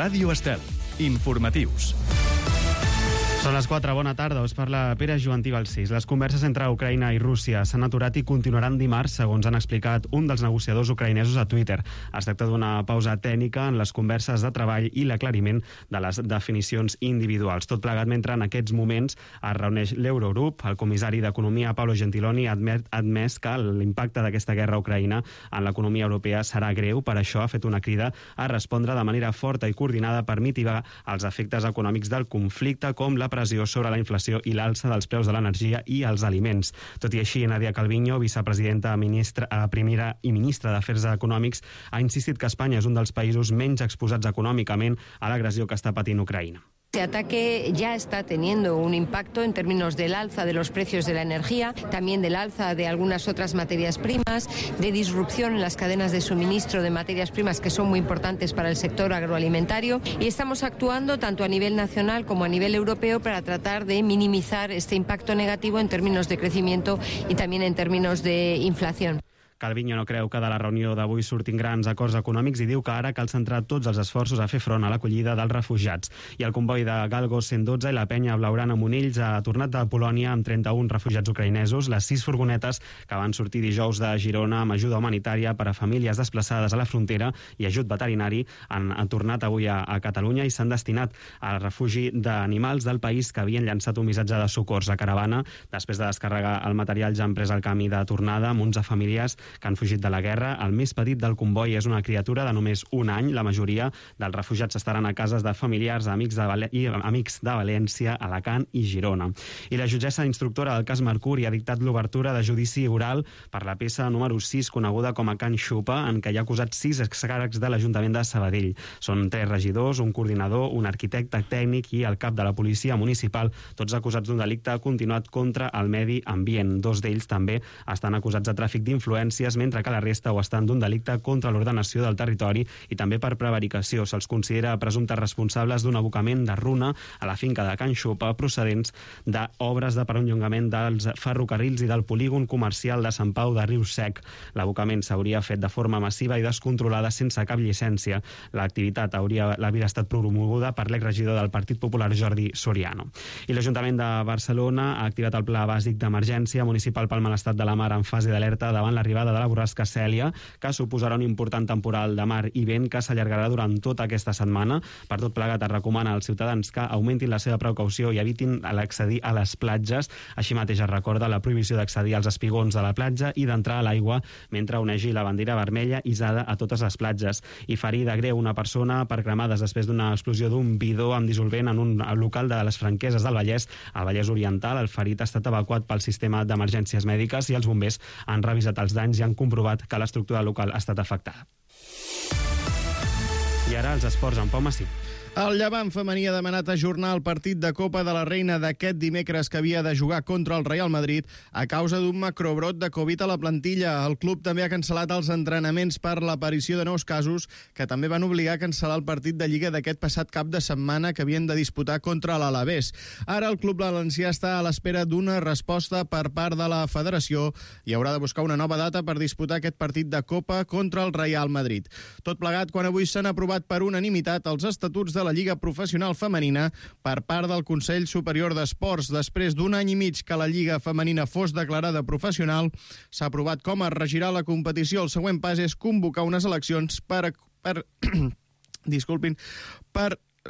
Ràdio Estel. Informatius. Són les 4, bona tarda, us parla Pere Joantí Balsís. Les converses entre Ucraïna i Rússia s'han aturat i continuaran dimarts, segons han explicat un dels negociadors ucraïnesos a Twitter. Es tracta d'una pausa tècnica en les converses de treball i l'aclariment de les definicions individuals. Tot plegat mentre en aquests moments es reuneix l'Eurogrup. El comissari d'Economia, Paolo Gentiloni, ha admès que l'impacte d'aquesta guerra a Ucraïna en l'economia europea serà greu. Per això ha fet una crida a respondre de manera forta i coordinada per mitigar els efectes econòmics del conflicte, com la pressió sobre la inflació i l'alça dels preus de l'energia i els aliments. Tot i així, Nadia Calviño, vicepresidenta primera i ministra d'Afers Econòmics, ha insistit que Espanya és un dels països menys exposats econòmicament a l'agressió que està patint Ucraïna. Este ataque ya está teniendo un impacto en términos del alza de los precios de la energía, también del alza de algunas otras materias primas, de disrupción en las cadenas de suministro de materias primas que son muy importantes para el sector agroalimentario, y estamos actuando tanto a nivel nacional como a nivel europeo para tratar de minimizar este impacto negativo en términos de crecimiento y también en términos de inflación. Calviño no creu que de la reunió d'avui surtin grans acords econòmics i diu que ara cal centrar tots els esforços a fer front a l'acollida dels refugiats. I el comboi de Galgo 112 i la penya Blaugrana Monells ha tornat de Polònia amb 31 refugiats ucraïnesos. Les 6 furgonetes que van sortir dijous de Girona amb ajuda humanitària per a famílies desplaçades a la frontera i ajut veterinari han tornat avui a Catalunya i s'han destinat al refugi d'animals del país que havien llançat un missatge de socors. La caravana, després de descarregar el material, ja han pres el camí de tornada amb 11 famílies que han fugit de la guerra. El més petit del comboi és una criatura de només un any. La majoria dels refugiats estaran a cases de familiars amics de València, Alacant i Girona. I la jutgessa instructora del cas Mercuri ha dictat l'obertura de judici oral per la peça número 6, coneguda com a Can Xupa, en què hi ha acusat 6 excàrrecs de l'Ajuntament de Sabadell. Són 3 regidors, un coordinador, un arquitecte tècnic i el cap de la policia municipal, tots acusats d'un delicte continuat contra el medi ambient. 2 d'ells també estan acusats de tràfic d'influència, mentre que la resta ho estan d'un delicte contra l'ordenació del territori i també per prevaricació. Se'ls considera presumptes responsables d'un abocament de runa a la finca de Can Xupa procedents d'obres de perllongament dels ferrocarrils i del polígon comercial de Sant Pau de Riu Sec. L'abocament s'hauria fet de forma massiva i descontrolada sense cap llicència. L'activitat hauria estat promoguda per l'exregidor del Partit Popular, Jordi Soriano. I l'Ajuntament de Barcelona ha activat el Pla Bàsic d'Emergència Municipal pel mal estat de la mar en fase d'alerta davant l'arribada de la borrasca Cèlia, que suposarà un important temporal de mar i vent que s'allargarà durant tota aquesta setmana. Per tot plegat, es recomana als ciutadans que augmentin la seva precaució i evitin l'accedir a les platges. Així mateix es recorda la prohibició d'accedir als espigons de la platja i d'entrar a l'aigua mentre onegi la bandera vermella hissada a totes les platges. I ferir de greu una persona per cremades després d'una explosió d'un bidó amb dissolvent en un local de les Franqueses del Vallès, al Vallès Oriental. El ferit ha estat evacuat pel sistema d'emergències mèdiques i els bombers han revisat els danys i han comprovat que l'estructura local ha estat afectada. I ara els esports amb Pau Massí. El Llevant femení ha demanat ajornar el partit de Copa de la Reina d'aquest dimecres que havia de jugar contra el Real Madrid a causa d'un macrobrot de Covid a la plantilla. El club també ha cancel·lat els entrenaments per l'aparició de nous casos que també van obligar a cancel·lar el partit de Lliga d'aquest passat cap de setmana que havien de disputar contra l'Alavés. Ara el club valencià està a l'espera d'una resposta per part de la federació i haurà de buscar una nova data per disputar aquest partit de Copa contra el Real Madrid. Tot plegat quan avui s'han aprovat per unanimitat els estatuts de la Lliga Professional Femenina per part del Consell Superior d'Esports. Després d'un any i mig que la Lliga Femenina fos declarada professional, s'ha aprovat com es regirà la competició. El següent pas és convocar unes eleccions per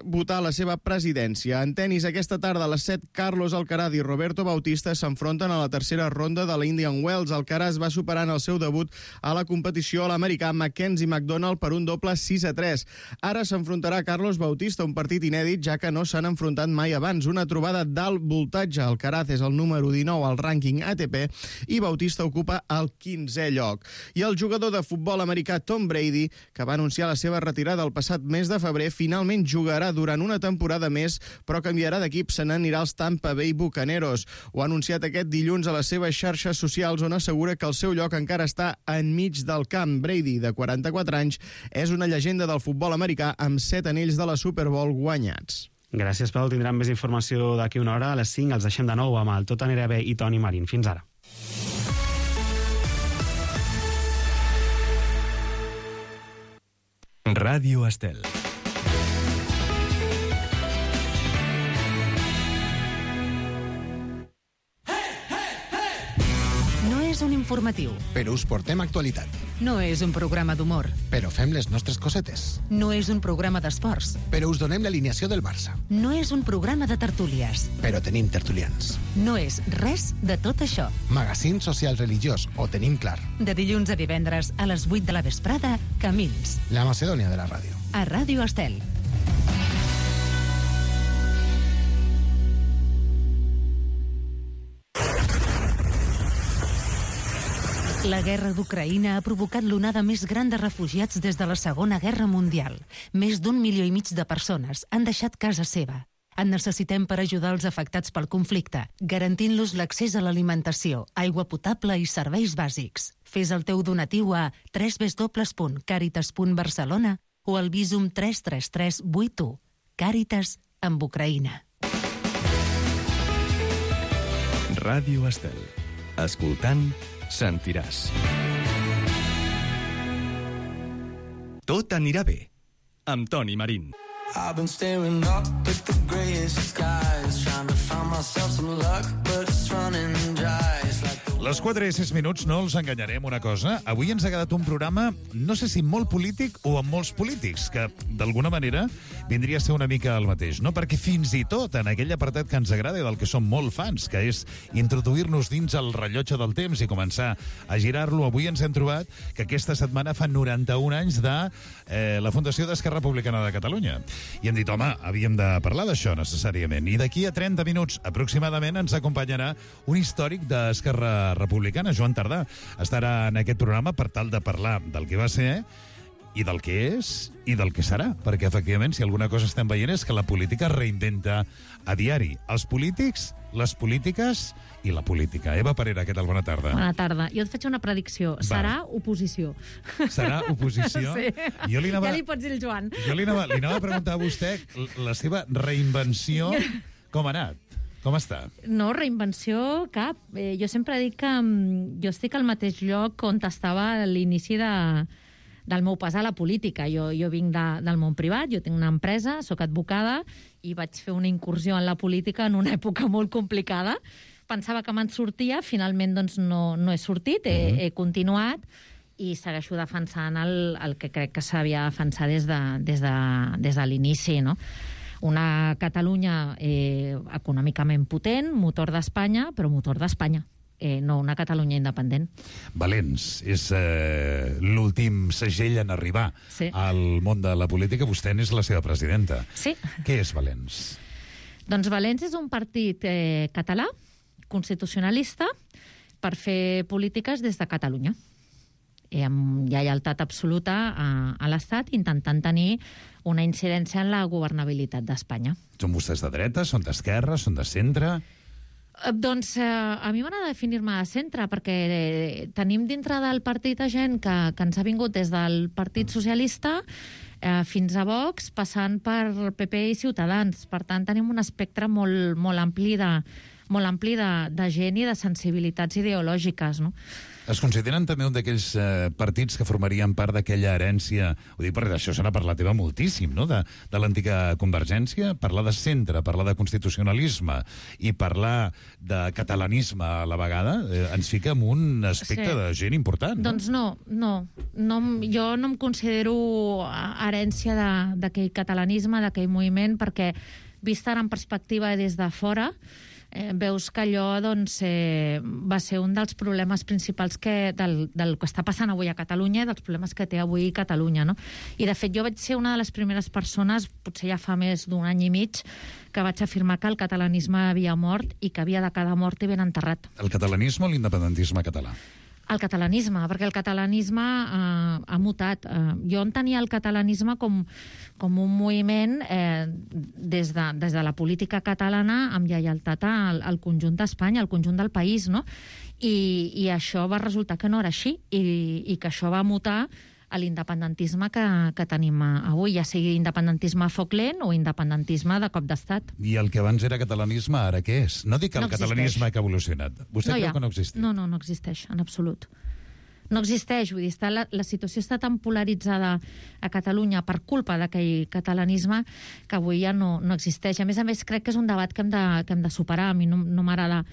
votar la seva presidència. En tenis, aquesta tarda a les 7, Carlos Alcaraz i Roberto Bautista s'enfronten a la tercera ronda de la Indian Wells. Alcaraz va superant el seu debut a la competició a l'americà Mackenzie McDonald per un doble 6-3. Ara s'enfrontarà Carlos Bautista, un partit inèdit, ja que no s'han enfrontat mai abans. Una trobada d'alt voltatge. Alcaraz és el número 19 al rànquing ATP i Bautista ocupa el 15è lloc. I el jugador de futbol americà Tom Brady, que va anunciar la seva retirada el passat mes de febrer, finalment jugarà durant una temporada més, però canviarà d'equip, se n'anirà als Tampa Bay Bucaneros. Ho ha anunciat aquest dilluns a les seves xarxes socials, on assegura que el seu lloc encara està enmig del camp. Brady, de 44 anys, és una llegenda del futbol americà amb 7 anells de la Super Bowl guanyats. Gràcies, Pau. Tindrem més informació d'aquí una hora. A les 5 els deixem de nou amb el Tot anirà bé i Toni Marín. Fins ara. Ràdio Estel. és un informatiu. Però us portem actualitat. No és un programa d'humor. Però fem les nostres cosetes. No és un programa d'esports. Però us donem l'alineació del Barça. No és un programa de tertúlies. Però tenim tertulians. No és res de tot això. Magazín social religiós, ho tenim clar. De dilluns a divendres a les 8 de la vesprada, Camins. La Macedònia de la ràdio. A Ràdio Estel. La guerra d'Ucraïna ha provocat l'onada més gran de refugiats des de la Segona Guerra Mundial. Més d'1,5 milió de persones han deixat casa seva. En necessitem per ajudar els afectats pel conflicte, garantint-los l'accés a l'alimentació, aigua potable i serveis bàsics. Fes el teu donatiu a www.caritas.barcelona o al Visum 33381. Càritas amb Ucraïna. Ràdio Estel. Escoltant, sentiràs. Tot anirà bé, amb Toni Marín. I've been staring up at the greyest skies, trying to find myself some luck, but it's running dry. It's like the... Les 4 i 6 minuts, no els enganyarem una cosa. Avui ens ha quedat un programa, no sé si molt polític o amb molts polítics, que d'alguna manera vindria a ser una mica el mateix, no? Perquè fins i tot en aquell apartat que ens agrada i del que som molt fans, que és introduir-nos dins el rellotge del temps i començar a girar-lo, avui ens hem trobat que aquesta setmana fa 91 anys de la Fundació d'Esquerra Republicana de Catalunya. I hem dit, home, havíem de parlar d'això necessàriament. I d'aquí a 30 minuts aproximadament ens acompanyarà un històric d'Esquerra Republicana, Joan Tardà. Estarà en aquest programa per tal de parlar del que va ser i del que és i del que serà. Perquè, efectivament, si alguna cosa estem veient és que la política es reinventa a diari. Els polítics, les polítiques i la política. Eva Parera, què tal? Bona tarda. Bona tarda. Jo et faig una predicció. Serà oposició. Serà oposició? Sí. Ja li pots dir el Joan. Jo li anava a preguntar a vostè la seva reinvenció, com ha anat? Com està? No, reinvenció cap. Jo sempre dic que jo estic al mateix lloc on estava a l'inici del meu pas a la política. Jo vinc del món privat, jo tinc una empresa, sóc advocada i vaig fer una incursió en la política en una època molt complicada. Pensava que me'n sortia, finalment doncs, no he sortit, he continuat i segueixo defensant el que crec que s'havia de defensar des de l'inici, no? Una Catalunya econòmicament potent, motor d'Espanya, però motor d'Espanya. No una Catalunya independent. Valents és l'últim segell en arribar al món de la política. Vostè n'és la seva presidenta. Sí. Què és Valents? Doncs Valents és un partit català, constitucionalista, per fer polítiques des de Catalunya. Hi ha lleialtat absoluta a l'Estat, intentant tenir una incidència en la governabilitat d'Espanya. Són vostès de dreta, són d'esquerra, són de centre? Doncs a mi m'agrada definir-me de centre, perquè tenim dintre del partit gent que ens ha vingut des del Partit Socialista fins a Vox, passant per PP i Ciutadans. Per tant, tenim un espectre molt ampli de gent i de sensibilitats ideològiques, no? Es consideren també un d'aquells partits que formarien part d'aquella herència, ho dic perquè això se n'ha parlat moltíssim, no?, de l'antiga Convergència, parlar de centre, parlar de constitucionalisme i parlar de catalanisme a la vegada, ens fica en un aspecte de gent important. No? Doncs no, jo no em considero herència d'aquell catalanisme, d'aquell moviment, perquè vist ara en perspectiva des de fora, veus que allò va ser un dels problemes principals del que està passant avui a Catalunya i dels problemes que té avui Catalunya, no? I de fet jo vaig ser una de les primeres persones, potser ja fa més d'un any i mig, que vaig afirmar que el catalanisme havia mort i que havia de quedar mort i ben enterrat. El catalanisme o l'independentisme català? El catalanisme, perquè el catalanisme ha mutat. Jo entenia el catalanisme com un moviment des de la política catalana amb lleialtat al conjunt d'Espanya, al conjunt del país, no? I això va resultar que no era així i que això va mutar a l'independentisme que tenim avui, ja sigui independentisme a foc lent o independentisme de cop d'estat. I el que abans era catalanisme, ara què és? No dic que el catalanisme que ha evolucionat. Vostè creu que no existeix? No existeix, en absolut. No existeix, vull dir, la situació està tan polaritzada a Catalunya per culpa d'aquell catalanisme que avui ja no existeix. A més, crec que és un debat que hem de superar. A mi no m'agrada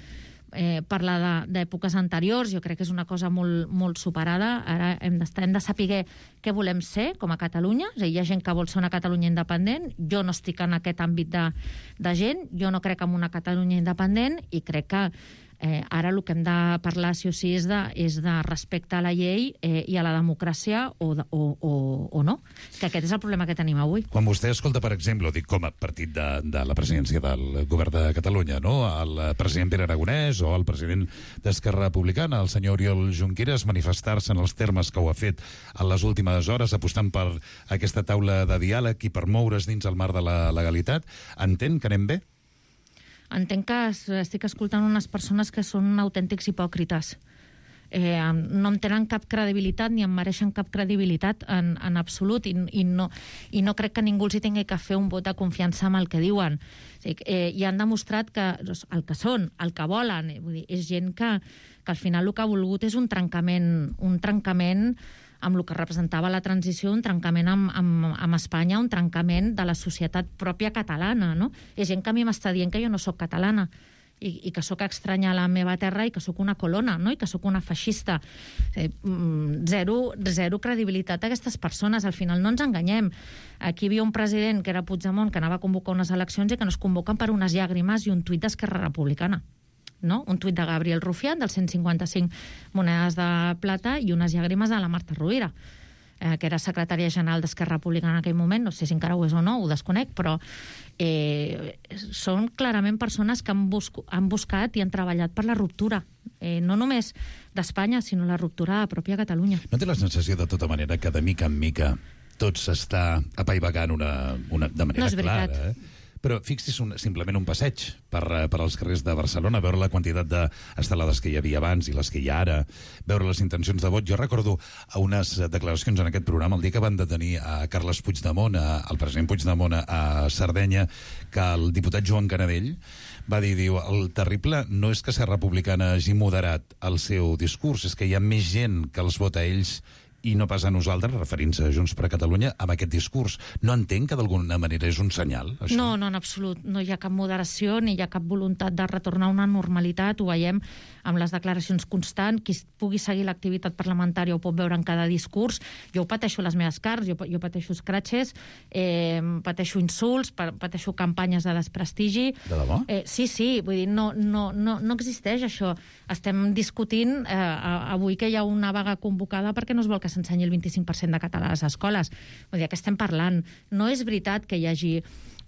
parlar d'èpoques anteriors, jo crec que és una cosa molt, molt superada. Ara hem de saber què volem ser com a Catalunya. És a dir, hi ha gent que vol ser una Catalunya independent, jo no estic en aquest àmbit de gent, jo no crec en una Catalunya independent i crec que ara el que hem de parlar sí o sí és de respecte a la llei i a la democràcia o no, que aquest és el problema que tenim avui. Quan vostè escolta, per exemple, dic com a partit de la presidència del govern de Catalunya, no? El president Pere Aragonès o el president d'Esquerra Republicana, el senyor Oriol Junqueras, manifestar-se en els termes que ho ha fet en les últimes hores, apostant per aquesta taula de diàleg i per moure's dins el marc de la legalitat, entén que anem bé? Entenc que estic escoltant unes persones que són autèntics hipòcrites. No em tenen cap credibilitat ni em mereixen cap credibilitat en absolut i no crec que ningú els hi tingui que fer un vot de confiança amb el que diuen. I han demostrat que el que són, el que volen, vull dir, és gent que al final el que ha volgut és un trencament amb el que representava la transició, un trencament amb Espanya, un trencament de la societat pròpia catalana, no? És gent que a mi m'està dient que jo no sóc catalana i que sóc estranya a la meva terra i que sóc una colona, no? I que sóc una feixista. Zero credibilitat a aquestes persones. Al final no ens enganyem. Aquí hi havia un president que era Puigdemont que anava a convocar unes eleccions i que no es convoquen per unes llàgrimes i un tuit d'Esquerra Republicana. No? Un tuit de Gabriel Rufián, dels 155 monedes de plata i unes llàgrimes de la Marta Rovira, que era secretària general d'Esquerra Republicana en aquell moment, no sé si encara ho és o no, ho desconec, però són clarament persones que han buscat i han treballat per la ruptura, no només d'Espanya, sinó la ruptura de la pròpia Catalunya. No té la sensació, de tota manera, que de mica en mica tot s'està apaivagant de manera clara, Però fixi's simplement un passeig per als carrers de Barcelona, veure la quantitat d'estelades que hi havia abans i les que hi ha ara, veure les intencions de vot. Jo recordo a unes declaracions en aquest programa el dia que van detenir a Carles Puigdemont, el president Puigdemont a Sardenya, que el diputat Joan Canadell va dir, el terrible no és que Esquerra Republicana hagi moderat el seu discurs, és que hi ha més gent que els vota a ells i no pas a nosaltres, referint-se a Junts per Catalunya, amb aquest discurs. No entenc que d'alguna manera és un senyal, això? No, en absolut. No hi ha cap moderació ni hi ha cap voluntat de retornar a una normalitat. Ho veiem amb les declaracions constants. Qui pugui seguir l'activitat parlamentària ho pot veure en cada discurs. Jo ho pateixo a les meves carns, jo pateixo escratxes, pateixo insults, pateixo campanyes de desprestigi. De debò? Sí, vull dir, no existeix això. Estem discutint avui que hi ha una vaga convocada perquè no es vol que s'ensenyi el 25% de català a les escoles. Vull dir, que estem parlant. No és veritat que hi hagi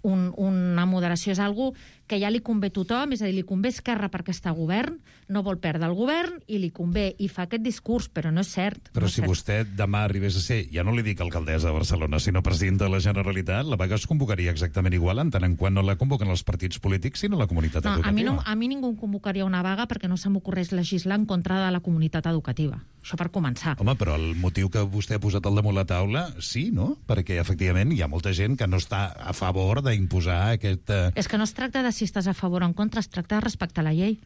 una moderació, és algo que ja li convé a tothom, és a dir, li convé Esquerra perquè està a govern, no vol perdre el govern i li convé, i fa aquest discurs, però no és cert. Però si vostè demà arribés a ser, ja no li dic alcaldessa de Barcelona, sinó president de la Generalitat, la vaga es convocaria exactament igual, en tant en quant no la convoquen els partits polítics, sinó la comunitat educativa. A mi ningú em convocaria una vaga perquè no se m'ocorreix legislar en contra de la comunitat educativa. Això per començar. Home, però el motiu que vostè ha posat al damunt la taula, sí, no? Perquè, efectivament, hi ha molta gent que no està a favor d'imposar aquest... És que no es tracta de si estàs a favor o en contra, es tracta de respectar la llei.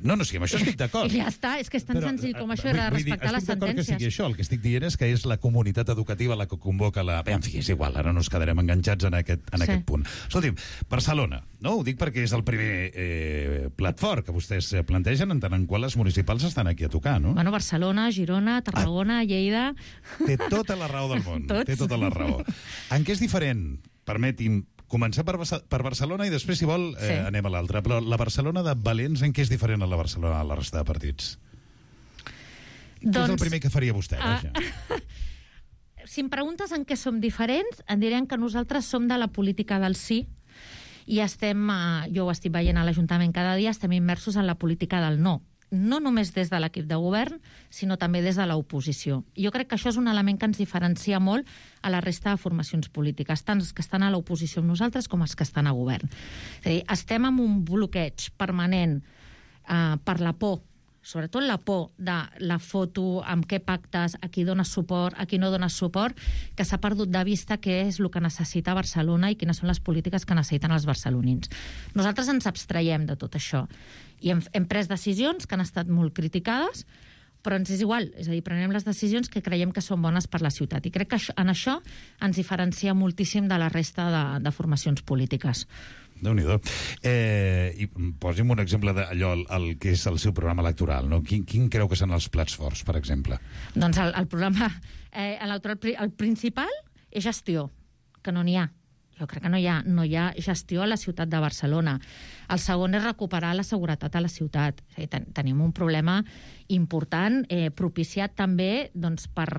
No, sí, amb això estic d'acord. I ja està, és que és tan senzill com això, era respectar les sentències. Que sigui això, el que estic dient és que és la comunitat educativa la que convoca la... En fi, és igual, ara no ens quedarem enganxats en aquest punt. Escolti'm, Barcelona, no? Ho dic perquè és el primer plat fort que vostès plantegen, en tant en qual les municipals estan aquí a tocar, no? Bueno, Barcelona, Girona, Tarragona, Lleida... Té tota la raó del món. Té tota la raó. En què és diferent? Permeti'm començar per Barcelona i després, si vol, anem a l'altra. Però la Barcelona de Valents, en què és diferent a la Barcelona de la resta de partits? Què és el primer que faria vostè? Si em preguntes en què som diferents, em direm que nosaltres som de la política del sí i estem, jo ho estic veient a l'Ajuntament cada dia, estem immersos en la política del no. No només des de l'equip de govern, sinó també des de l'oposició. Jo crec que això és un element que ens diferencia molt a la resta de formacions polítiques, tant els que estan a l'oposició amb nosaltres com els que estan a govern. És a dir, estem en un bloqueig permanent per la por, sobretot la por de la foto, amb què pactes, a qui dones suport, a qui no dones suport, que s'ha perdut de vista què és el que necessita Barcelona i quines són les polítiques que necessiten els barcelonins. Nosaltres ens abstraiem de tot això i hem pres decisions que han estat molt criticades, però ens és igual, és a dir, prenem les decisions que creiem que són bones per la ciutat. I crec que en això ens diferencia moltíssim de la resta de formacions polítiques. Déu-n'hi-do. I posi'm un exemple d'allò, el que és el seu programa electoral, no? Quin creu que són els plats forts, per exemple? Doncs el programa electoral, el principal és gestió, que no n'hi ha. Jo crec que no hi ha gestió a la ciutat de Barcelona. El segon és recuperar la seguretat a la ciutat. Tenim un problema important, propiciat també doncs, per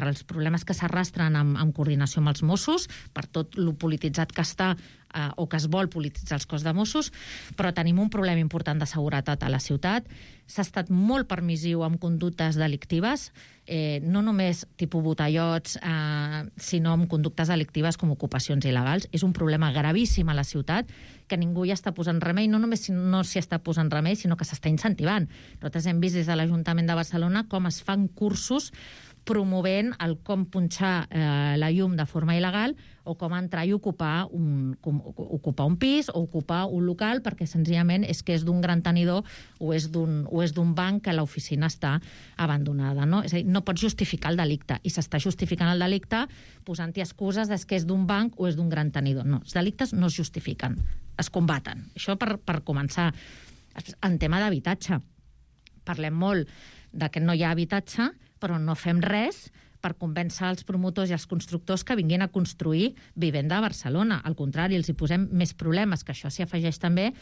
els problemes que s'arrastren amb coordinació amb els Mossos, per tot lo polititzat que està o que es vol polititzar els cos de Mossos, però tenim un problema important de seguretat a la ciutat. S'ha estat molt permissiu amb conductes delictives, no només tipus botellots, sinó amb conductes delictives com ocupacions il·legals. És un problema gravíssim a la ciutat que ningú hi està posant remei, no només no s'hi està posant remei, sinó que s'està incentivant. Nosaltres hem vist des de l'Ajuntament de Barcelona com es fan cursos promovent el com punxar la llum de forma il·legal o com entrar i ocupar un pis o ocupar un local perquè senzillament és que és d'un gran tenidor o és d'un banc que l'oficina està abandonada. No? És a dir, no pots justificar el delicte i s'està justificant el delicte posant-hi excuses que és d'un banc o és d'un gran tenidor. No, els delictes no es justifiquen, es combaten. Això per començar. En tema d'habitatge, parlem molt de que no hi ha habitatge, però no fem res per convèncer els promotors i els constructors que vinguin a construir vivenda a Barcelona. Al contrari, els hi posem més problemes, que això s'hi afegeix també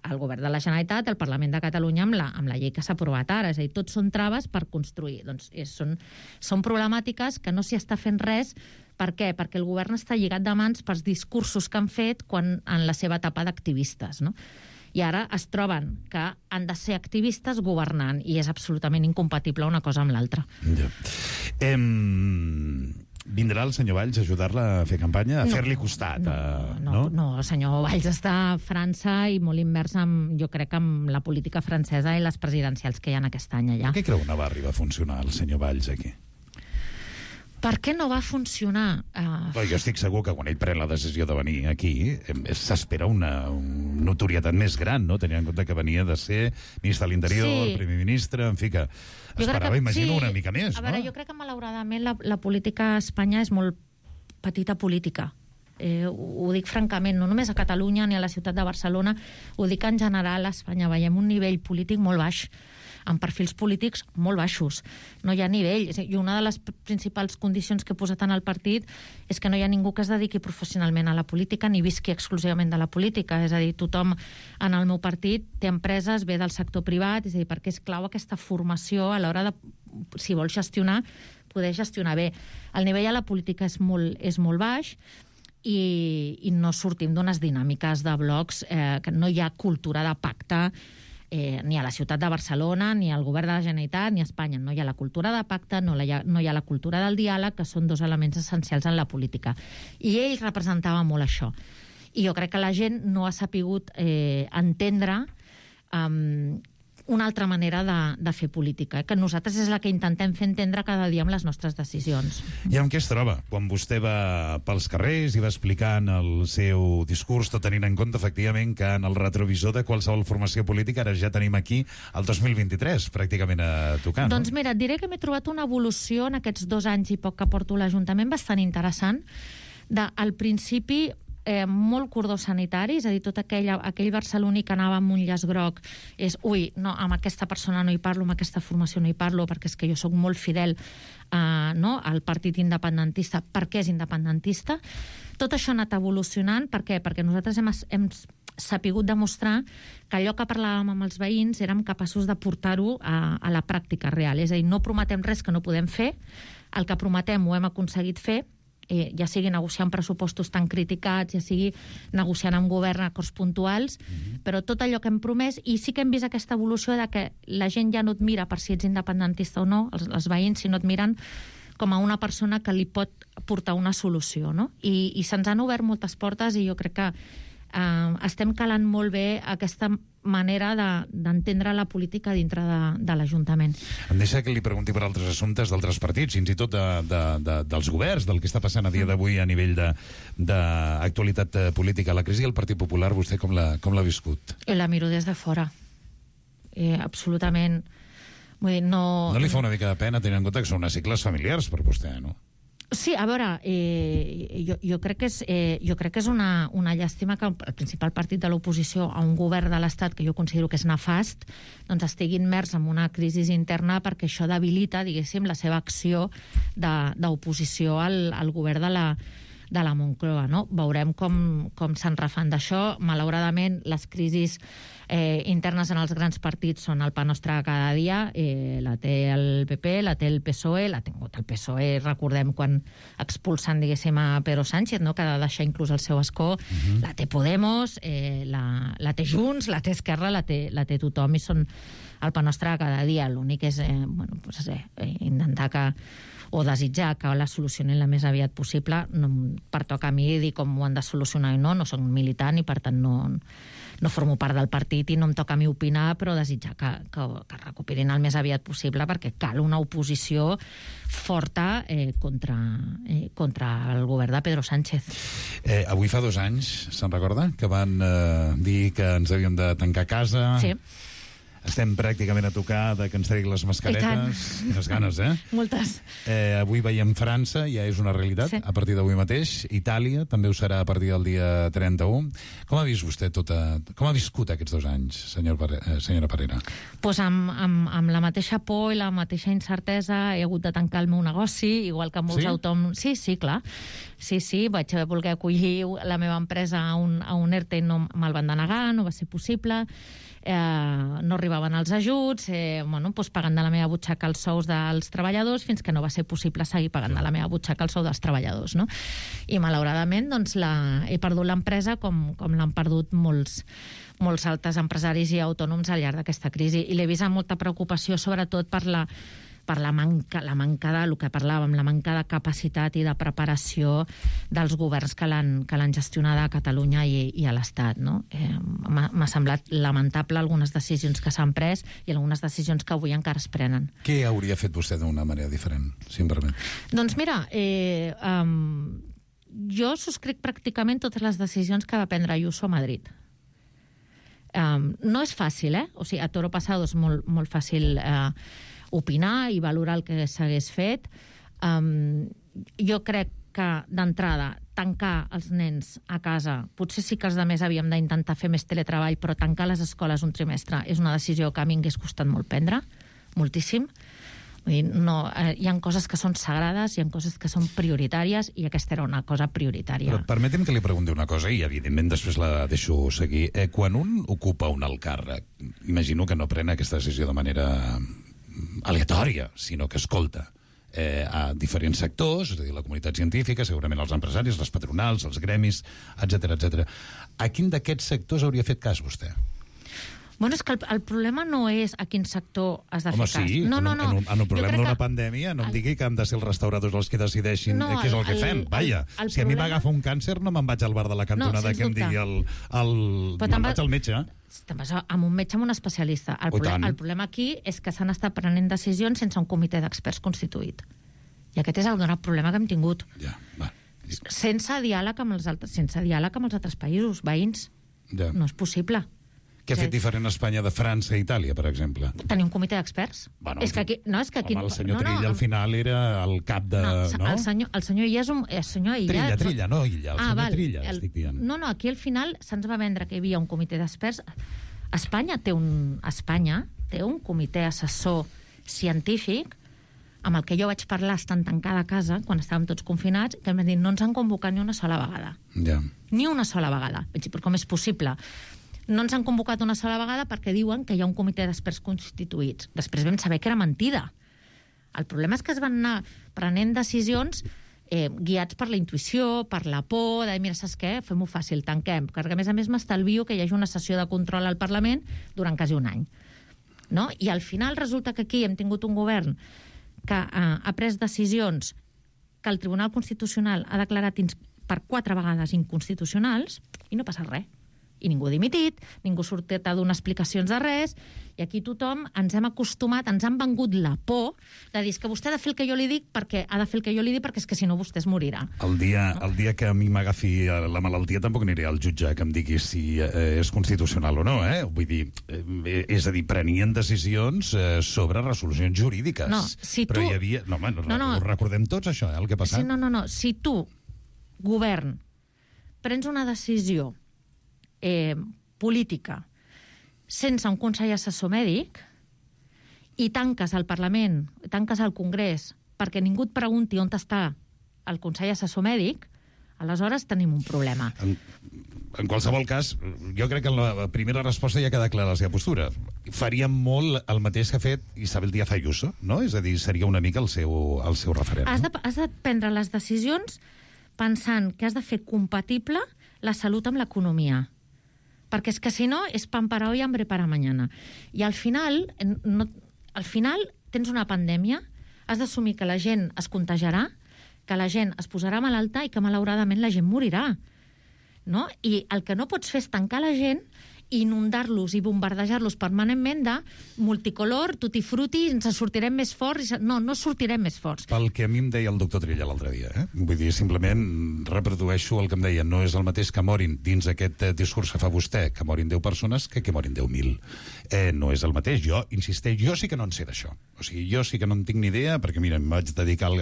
al govern de la Generalitat, al Parlament de Catalunya, amb la llei que s'ha aprovat ara. És a dir, tots són traves per construir. Doncs són problemàtiques que no s'hi està fent res. Per què? Perquè el govern està lligat de mans pels discursos que han fet en la seva etapa d'activistes, no? I ara es troben que han de ser activistes governant, i és absolutament incompatible una cosa amb l'altra. Ja. Vindrà el senyor Valls a ajudar-la a fer campanya, a fer-li costat? No, el senyor Valls està a França i molt immers, jo crec, amb la política francesa i les presidencials que hi ha aquest any allà. Per què creu que no va arribar a funcionar el senyor Valls aquí? Per què no va funcionar? Jo estic segur que quan ell pren la decisió de venir aquí s'espera una notorietat més gran, no? Tenint en compte que venia de ser ministre de l'Interior, primer ministre, en fi, que esperava, imagino, una mica més, no? A veure, jo crec que malauradament la política a Espanya és molt petita política. Ho dic francament, no només a Catalunya ni a la ciutat de Barcelona, ho dic en general a Espanya. Veiem un nivell polític molt baix, amb perfils polítics molt baixos. No hi ha nivell. I una de les principals condicions que he posat en el partit és que no hi ha ningú que es dediqui professionalment a la política ni visqui exclusivament de la política. És a dir, tothom en el meu partit té empreses, ve del sector privat, és a dir, perquè és clau aquesta formació a l'hora de, si vols gestionar, poder gestionar bé. El nivell a la política és molt baix i no sortim d'unes dinàmiques de blocs, que no hi ha cultura de pacte ni a la ciutat de Barcelona, ni al govern de la Generalitat, ni a Espanya. No hi ha la cultura de pacte, no hi ha la cultura del diàleg, que són dos elements essencials en la política. I ell representava molt això. I jo crec que la gent no ha sapigut entendre una altra manera de fer política, que nosaltres és la que intentem fer entendre cada dia amb les nostres decisions. I amb què es troba? Quan vostè va pels carrers i va explicant el seu discurs, tot tenint en compte, efectivament, que en el retrovisor de qualsevol formació política ara ja tenim aquí el 2023, pràcticament a tocar, no? Doncs mira, et diré que m'he trobat una evolució en aquests 2 anys i poc que porto a l'Ajuntament bastant interessant. Al principi, molt cordó sanitari, és a dir, tot aquell barceloní que anava amb un llaç groc és, no, amb aquesta persona no hi parlo, amb aquesta formació no hi parlo, perquè és que jo sóc molt fidel al partit independentista, perquè és independentista. Tot això ha anat evolucionant. Per què? Perquè nosaltres hem sapigut demostrar que allò que parlàvem amb els veïns érem capaços de portar-ho a la pràctica real. És a dir, no prometem res que no podem fer, el que prometem ho hem aconseguit fer, ja sigui negociant pressupostos tan criticats, ja sigui negociant amb govern acords puntuals, però tot allò que hem promès, i sí que hem vist aquesta evolució de que la gent ja no et mira per si ets independentista o no, els veïns, si no et miren com a una persona que li pot portar una solució, no? I se'ns han obert moltes portes i jo crec que estem calant molt bé aquesta manera d'entendre la política dintre de l'Ajuntament. Em deixa que li pregunti per altres assumptes d'altres partits, fins i tot dels governs, del que està passant a dia d'avui a nivell d'actualitat política. La crisi del Partit Popular, vostè com l'ha viscut? La miro des de fora. Absolutament. Vull dir, no li fa una mica de pena tenint en compte que són unes cicles familiars per vostè, no? Sí, a veure, jo crec que és una llàstima que el principal partit de l'oposició a un govern de l'Estat, que jo considero que és nefast, doncs estigui immers en una crisi interna, perquè això debilita, diguéssim, la seva acció d'oposició al govern de la Moncloa, no? Veurem com se'n refan d'això. Malauradament, les crisis internes en els grans partits són el pa nostre cada dia. La té el PP, la té el PSOE, l'ha tingut el PSOE, recordem quan expulsen, diguéssim, a Pedro Sánchez, no? Que ha de deixar inclús el seu escó. La té Podemos, la té Junts, la té Esquerra, la té tothom, i són el pa nostre cada dia. L'únic és intentar o desitjar que la solucionin la més aviat possible. No em pertoca a mi dir com ho han de solucionar i no soc militant i per tant no formo part del partit i no em toca a mi opinar, però desitjar que recuperin el més aviat possible, perquè cal una oposició forta contra el govern de Pedro Sánchez. Avui fa 2 anys, se'n recorda? Que van dir que ens havíem de tancar a casa. Sí. Estem pràcticament a tocar de que ens tregui les mascaretes. Quines ganes, Moltes. Avui veiem França, ja és una realitat, sí. A partir d'avui mateix. Itàlia també ho serà a partir del dia 31. Com ha vist vostè com ha viscut aquests 2 anys, senyora Parera? Pues amb la mateixa por i la mateixa incertesa he hagut de tancar el meu negoci, igual que molts autònoms. Sí, clar. Sí, vaig voler acollir la meva empresa a un ERTE i no me'l van denegar, no va ser possible. No arribaven els ajuts, pagant de la meva butxaca els sous dels treballadors, fins que no va ser possible seguir pagant de la meva butxaca el sou dels treballadors, no? I malauradament he perdut l'empresa com l'han perdut molts altres empresaris i autònoms al llarg d'aquesta crisi, i l'he vist amb molta preocupació, sobretot per la manca del que parlàvem, la manca de capacitat i de preparació dels governs que l'han gestionada a Catalunya i a l'Estat, no? M'ha semblat lamentable algunes decisions que s'han pres i algunes decisions que avui encara es prenen. Què hauria fet vostè d'una manera diferent, si em permet? Doncs mira, jo subscric pràcticament totes les decisions que va prendre Ayuso a Madrid. No és fàcil, O sigui, a toro pasado és molt fàcil opinar i valorar el que s'hagués fet. Jo crec que, d'entrada, tancar els nens a casa, potser sí que els altres havíem d'intentar fer més teletreball, però tancar les escoles un trimestre és una decisió que a mi m'hagués costat molt prendre, moltíssim. Vull dir, hi ha coses que són sagrades, hi ha coses que són prioritàries, i aquesta era una cosa prioritària. Però permeti'm que li pregunti una cosa, i evidentment després la deixo seguir. Quan un ocupa un alt càrrec, imagino que no pren aquesta decisió de manera aleatòria, sinó que escolta a diferents sectors, és a dir, la comunitat científica, segurament els empresaris, les patronals, els gremis, etc. A quin d'aquests sectors hauria fet cas vostè? Bueno, és que el problema no és a quin sector has de fer cas. Home, sí, no. En un problema d'una pandèmia no em digui que han de ser els restauradors els que decideixin què és el que fem. Vaja, si a mi m'agafa un càncer no me'n vaig al bar de la cantonada que em digui me'n vaig al metge. Te'n vas amb un metge, amb un especialista. El problema aquí és que s'han estat prenent decisions sense un comitè d'experts constituït. I aquest és el gran problema que hem tingut. Ja, va. Sense diàleg amb els altres països veïns. Ja. No és possible. Què ha fet diferent Espanya de França i Itàlia, per exemple? Tenir un comitè d'experts. Bueno, és que aquí... el senyor Trilla al final era el cap de... El senyor Illa és un... Trilla, no Illa, el senyor Trilla, estic dient. No, aquí al final se'ns va vendre que hi havia un comitè d'experts. Espanya té un comitè assessor científic amb el que jo vaig parlar estant tancada a casa, quan estàvem tots confinats, que em van dir, no ens han convocat ni una sola vegada. Ja. Ni una sola vegada. Vaig dir, però com és possible? No ens han convocat una sola vegada perquè diuen que hi ha un comitè d'experts constituïts. Després vam saber que era mentida. El problema és que es van anar prenent decisions guiats per la intuïció, per la por, de dir, mira, saps què? Fem-ho fàcil, tanquem. Perquè, a més, m'estalvio que hi hagi una sessió de control al Parlament durant quasi un any. No? I al final resulta que aquí hem tingut un govern que ha pres decisions que el Tribunal Constitucional ha declarat per 4 vegades inconstitucionals i no passa res. I ningú ha dimitit, ningú ha sortit a donar explicacions de res, i aquí tothom ens hem acostumat, ens han vengut la por de dir que vostè ha de fer el que jo li dic perquè és que si no vostè es morirà. El dia que a mi m'agafi la malaltia tampoc aniré al jutge que em digui si és constitucional o no, eh? Vull dir, és a dir, prenien decisions sobre resolucions jurídiques. No, si però tu... hi havia... No, ho recordem tots, això, el que ha passat. Sí, no. Si tu, govern, prens una decisió política sense un consell assessor mèdic i tanques el Parlament, tanques el Congrés perquè ningú et pregunti on està el consell assessor mèdic, aleshores tenim un problema. En qualsevol cas, jo crec que en la primera resposta ja queda clara la seva postura. Faríem molt el mateix que ha fet Isabel Díaz Ayuso, no? És a dir, seria una mica el seu referent. Has de prendre les decisions pensant que has de fer compatible la salut amb l'economia. Perquè és que si no, és pan para hoy, hambre para mañana. I al final tens una pandèmia, has d'assumir que la gent es contagiarà, que la gent es posarà malalta i que malauradament la gent morirà. No? I el que no pots fer és tancar la gent i inundar-los i bombardejar-los permanentment de multicolor, tutti frutti, ens sortirem més forts. No sortirem més forts. Pel que a mi em deia el doctor Trilla l'altre dia, vull dir, simplement reprodueixo el que em deia. No és el mateix que morin dins aquest discurs que fa vostè, que morin 10 persones, que morin 10.000. No és el mateix. Jo, insisteix, jo sí que no en sé d'això. O sigui, jo sí que no en tinc ni idea, perquè, mira, em dedico al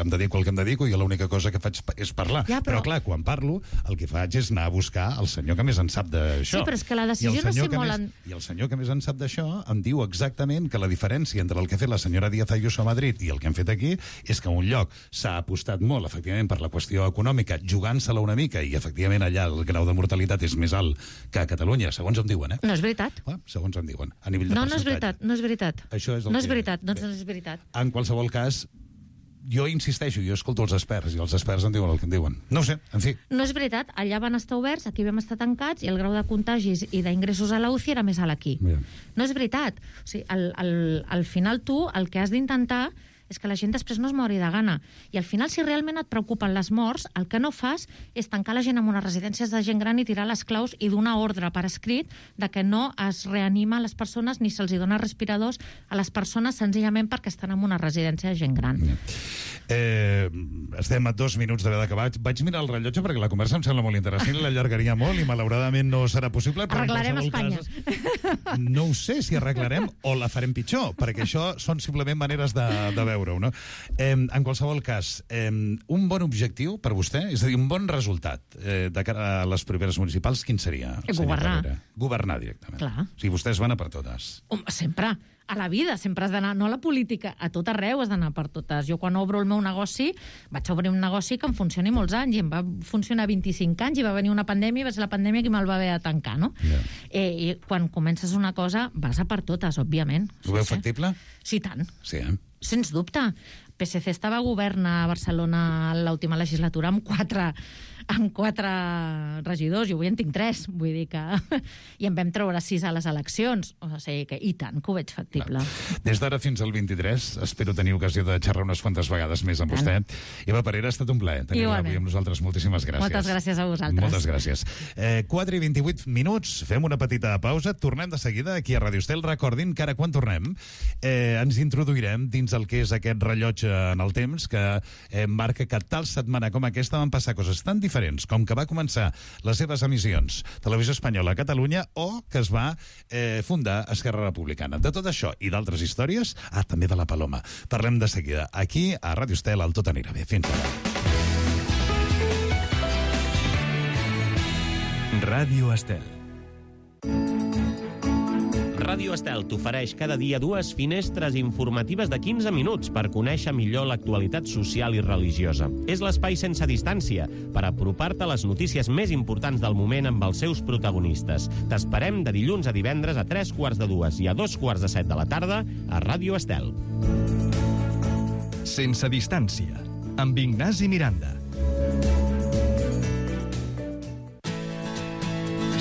que em dedico i l'única cosa que faig és parlar. Ja, però clar, quan parlo, el que faig és anar a buscar el senyor que més en sap d'això. Sí, però és que la decisió no sé molt... I el senyor que més en sap d'això em diu exactament que la diferència entre el que ha fet la senyora Díaz Ayuso a Madrid i el que hem fet aquí és que en un lloc s'ha apostat molt, efectivament, per la qüestió econòmica, jugant-se-la una mica, i efectivament allà el grau de mortalitat és més alt que a Catalunya, segons em diuen, No és veritat. Segons em diuen, a nivell de percentatge. No és veritat. Això és el no és veritat, doncs no és veritat. En qualsevol cas, jo insisteixo, jo escolto els experts, i els experts em diuen el que em diuen. No ho sé, en fi. No és veritat, allà van estar oberts, aquí vam estar tancats, i el grau de contagis i d'ingressos a la UCI era més alt aquí. Bien. No és veritat. O sigui, al final tu el que has d'intentar és que la gent després no es mori de gana. I al final, si realment et preocupen les morts, el que no fas és tancar la gent en unes residències de gent gran i tirar les claus i donar ordre per escrit de que no es reanima les persones ni se'ls dona respiradors a les persones senzillament perquè estan en una residència de gent gran. Estem a 2 minuts d'haver d'acabar. Vaig mirar el rellotge perquè la conversa em sembla molt interessant i l'allargaria molt i malauradament no serà possible. Arreglarem Espanya. No ho sé si arreglarem o la farem pitjor, perquè això són simplement maneres de veure-ho, no? En qualsevol cas, un bon objectiu per vostè, és a dir, un bon resultat de cara a les properes municipals, quin seria? Governar directament. Clar. O sigui, vostès van a per totes. Sempre. A la vida sempre has d'anar, no a la política, a tot arreu has d'anar per totes. Jo quan obro el meu negoci, vaig obrir un negoci que em funcioni molts anys, i em va funcionar 25 anys, i va venir una pandèmia, i va ser la pandèmia que me'l va haver de tancar, no? Yeah. I quan comences una cosa, vas a per totes, òbviament. Ho veu factible? Sí, tant. Sí, Sens dubte. PSC estava a govern a Barcelona l'última legislatura amb 4 regidors, jo avui en tinc 3, vull dir que... I en vam treure 6 a les eleccions, o sigui que i tant que ho veig factible. Des d'ara fins al 23, espero tenir ocasió de xerrar unes quantes vegades més amb vostè. Eva Parera, ha estat un plaer tenir-la avui amb nosaltres. Moltíssimes gràcies. Moltes gràcies a vosaltres. Moltes gràcies. 4 i 28 minuts, fem una petita pausa, tornem de seguida aquí a Radio Estel. Recordin que ara quan tornem ens introduirem dins el que és aquest rellotge en el temps que marca que tal setmana com aquesta van passar coses tan diferents com que va començar les seves emissions Televisió Espanyola a Catalunya o que es va fundar Esquerra Republicana. De tot això i d'altres històries, també de la Paloma. Parlem de seguida aquí a Radio Estel, al Tot anirà bé. Fins ara. Ràdio Estel. Ràdio Estel t'ofereix cada dia 2 finestres informatives de 15 minuts per conèixer millor l'actualitat social i religiosa. És l'espai sense distància per apropar-te a les notícies més importants del moment amb els seus protagonistes. T'esperem de dilluns a divendres a 3:45 i a 2:45 de la tarda a Ràdio Estel. Sense distància, amb Ignasi Miranda.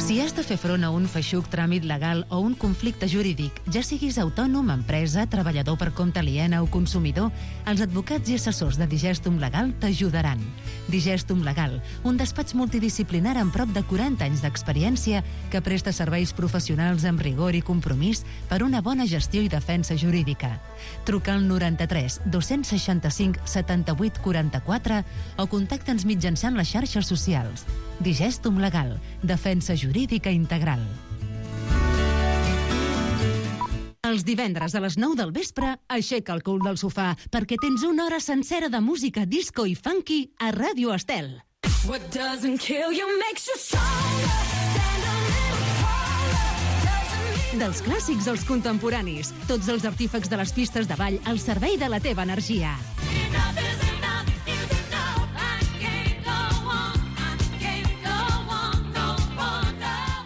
Si has de fer front a un feixuc tràmit legal o un conflicte jurídic, ja siguis autònom, empresa, treballador per compte aliena o consumidor, els advocats i assessors de Digestum Legal t'ajudaran. Digestum Legal, un despatx multidisciplinar amb prop de 40 anys d'experiència que presta serveis professionals amb rigor i compromís per una bona gestió i defensa jurídica. Truca al 93 265 78 44 o contacta'ns mitjançant les xarxes socials. Digestum Legal, defensa jurídica integral. Els divendres a les 9 del vespre, aixeca el cul del sofà perquè tens una hora sencera de música disco i funky a Ràdio Estel. What doesn't kill you makes you stronger. Stand a little taller. Dels clàssics als contemporanis, tots els artífecs de les pistes de ball al servei de la teva energia.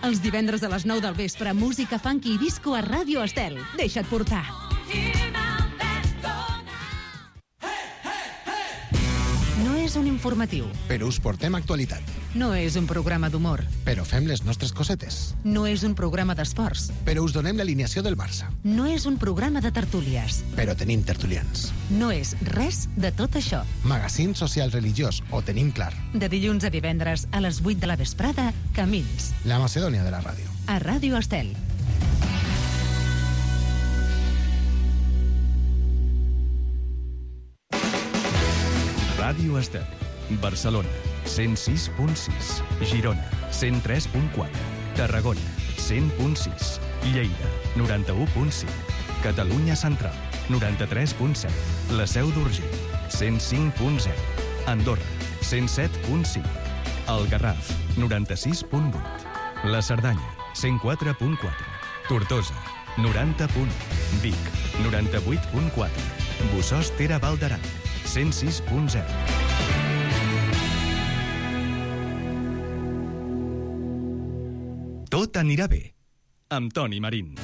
Els divendres a les 9 del vespre, música funky i disco a Ràdio Estel. Deixa't portar. No és un informatiu. Però us portem actualitat. No és un programa d'humor. Però fem les nostres cosetes. No és un programa d'esports. Però us donem l'alineació del Barça. No és un programa de tertúlies. Però tenim tertulians. No és res de tot això. Magazín social religiós, ho tenim clar. De dilluns a divendres a les 8 de la vesprada, Camins. La Macedònia de la ràdio. A Ràdio Estel. Ràdio Estel. Barcelona, 106.6. Girona, 103.4. Tarragona, 100.6. Lleida, 91.5. Catalunya Central, 93.7. La Seu d'Urgell, 105.0. Andorra, 107.5. El Garraf, 96.8. La Cerdanya, 104.4. Tortosa, 90.1. Vic, 98.4. Bossòst Tere Val d'Aran, 106.0. Tot anirà bé, amb Toni Marín.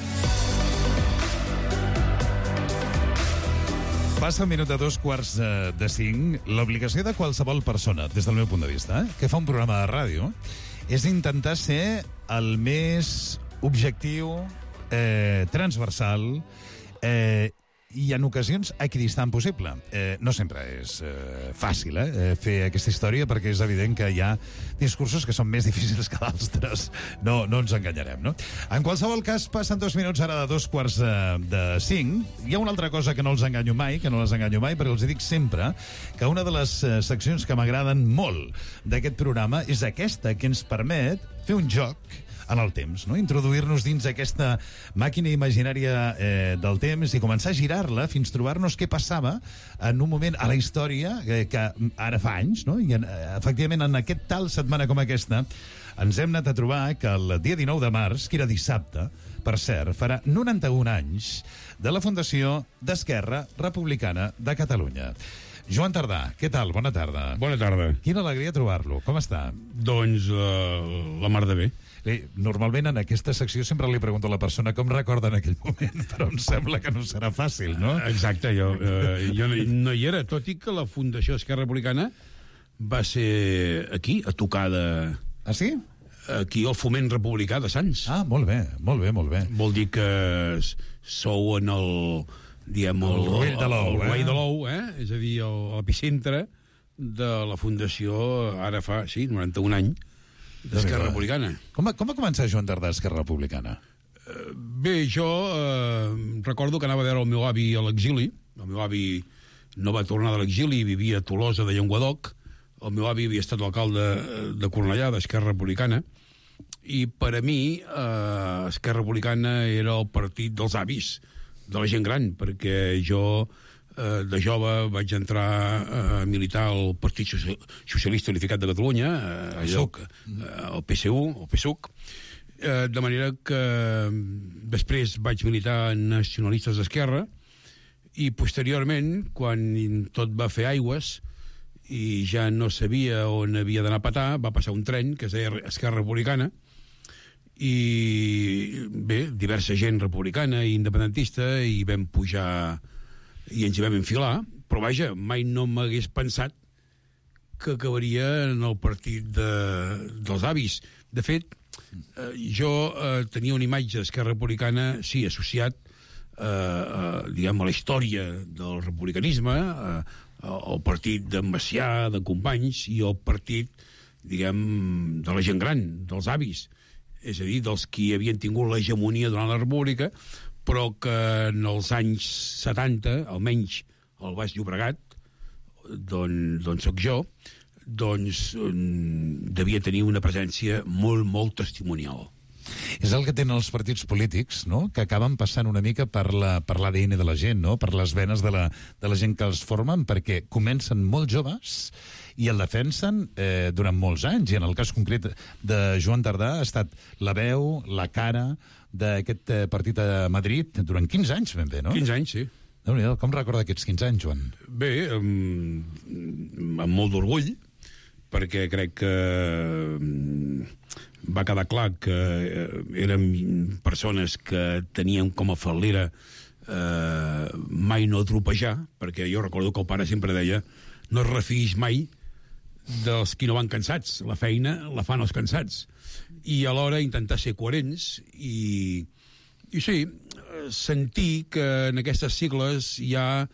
Passa el minut de 4:45. L'obligació de qualsevol persona, des del meu punt de vista, que fa un programa de ràdio, és intentar ser el més objectiu, transversal i en ocasions equidistant possible. No sempre és fàcil fer aquesta història, perquè és evident que hi ha discursos que són més difícils que d'altres. No ens enganyarem, no? En qualsevol cas, passen 2 minuts ara de 4:45. Hi ha una altra cosa que no els enganyo mai, però els dic sempre que una de les seccions que m'agraden molt d'aquest programa és aquesta, que ens permet fer un joc en el temps, no? Introduir-nos dins aquesta màquina imaginària del temps i començar a girar-la fins trobar-nos què passava en un moment a la història que ara fa anys, no? I efectivament en aquest tal setmana com aquesta ens hem anat a trobar que el dia 19 de març, que era dissabte, per cert, farà 91 anys de la fundació d'Esquerra Republicana de Catalunya. Joan Tardà, què tal? Bona tarda. Bona tarda. Quina alegria trobar-lo. Com està? Doncs la mar de bé. Normalment en aquesta secció sempre li pregunto a la persona com recorda en aquell moment, però em sembla que no serà fàcil, no? Exacte, jo no hi era, tot i que la Fundació Esquerra Republicana va ser aquí, a tocar de... Ah, sí? Aquí al Foment Republicà de Sants. Ah, molt bé, molt bé, molt bé. Vol dir que sou en el... diguem, el rovell de l'ou, el rovell de l'ou, és a dir, l'epicentre de la Fundació, ara fa, 91 anys, d'Esquerra Republicana. Com va començar Joan Tardà Esquerra Republicana? Bé, jo recordo que anava a veure el meu avi a l'exili. El meu avi no va tornar de l'exili, vivia a Tolosa de Llenguadoc. El meu avi havia estat l'alcalde de Cornellà, d'Esquerra Republicana, i per a mi Esquerra Republicana era el partit dels avis, de la gent gran, perquè jo de jove vaig entrar a militar al Partit Socialista Unificat de Catalunya, el PSU, el PSUC, de manera que després vaig militar en Nacionalistes d'Esquerra i posteriorment, quan tot va fer aigües i ja no sabia on havia d'anar a petar, va passar un tren que es deia Esquerra Republicana, i bé, diversa gent republicana i independentista, i vam pujar i ens hi vam enfilar, però vaja, mai no m'hagués pensat que acabaria en el partit dels avis. De fet, jo tenia una imatge d'Esquerra Republicana, sí, associat diguem, a la història del republicanisme, al partit d'en Macià, de Companys, i al partit, diguem, de la gent gran, dels avis, és a dir, dels qui havien tingut l'hegemonia durant la República, però que en els anys 70, almenys al Baix Llobregat, d'on soc jo, doncs devia tenir una presència molt, molt testimonial. És el que tenen els partits polítics, no?, que acaben passant una mica per l'ADN de la gent, no?, per les venes de la gent que els formen, perquè comencen molt joves i el defensen durant molts anys. I en el cas concret de Joan Tardà ha estat la veu, la cara d'aquest partit a Madrid durant 15 anys, ben bé, no? 15 anys, sí. Com recorda aquests 15 anys, Joan? Bé, amb molt d'orgull, perquè crec que va quedar clar que eren persones que tenien com a fal·lera mai no tropejar, perquè jo recordo que el pare sempre deia no es refiïs mai dels qui no van cansats, la feina la fan els cansats, i alhora intentar ser coherents i sí, sentir que en aquestes sigles hi ha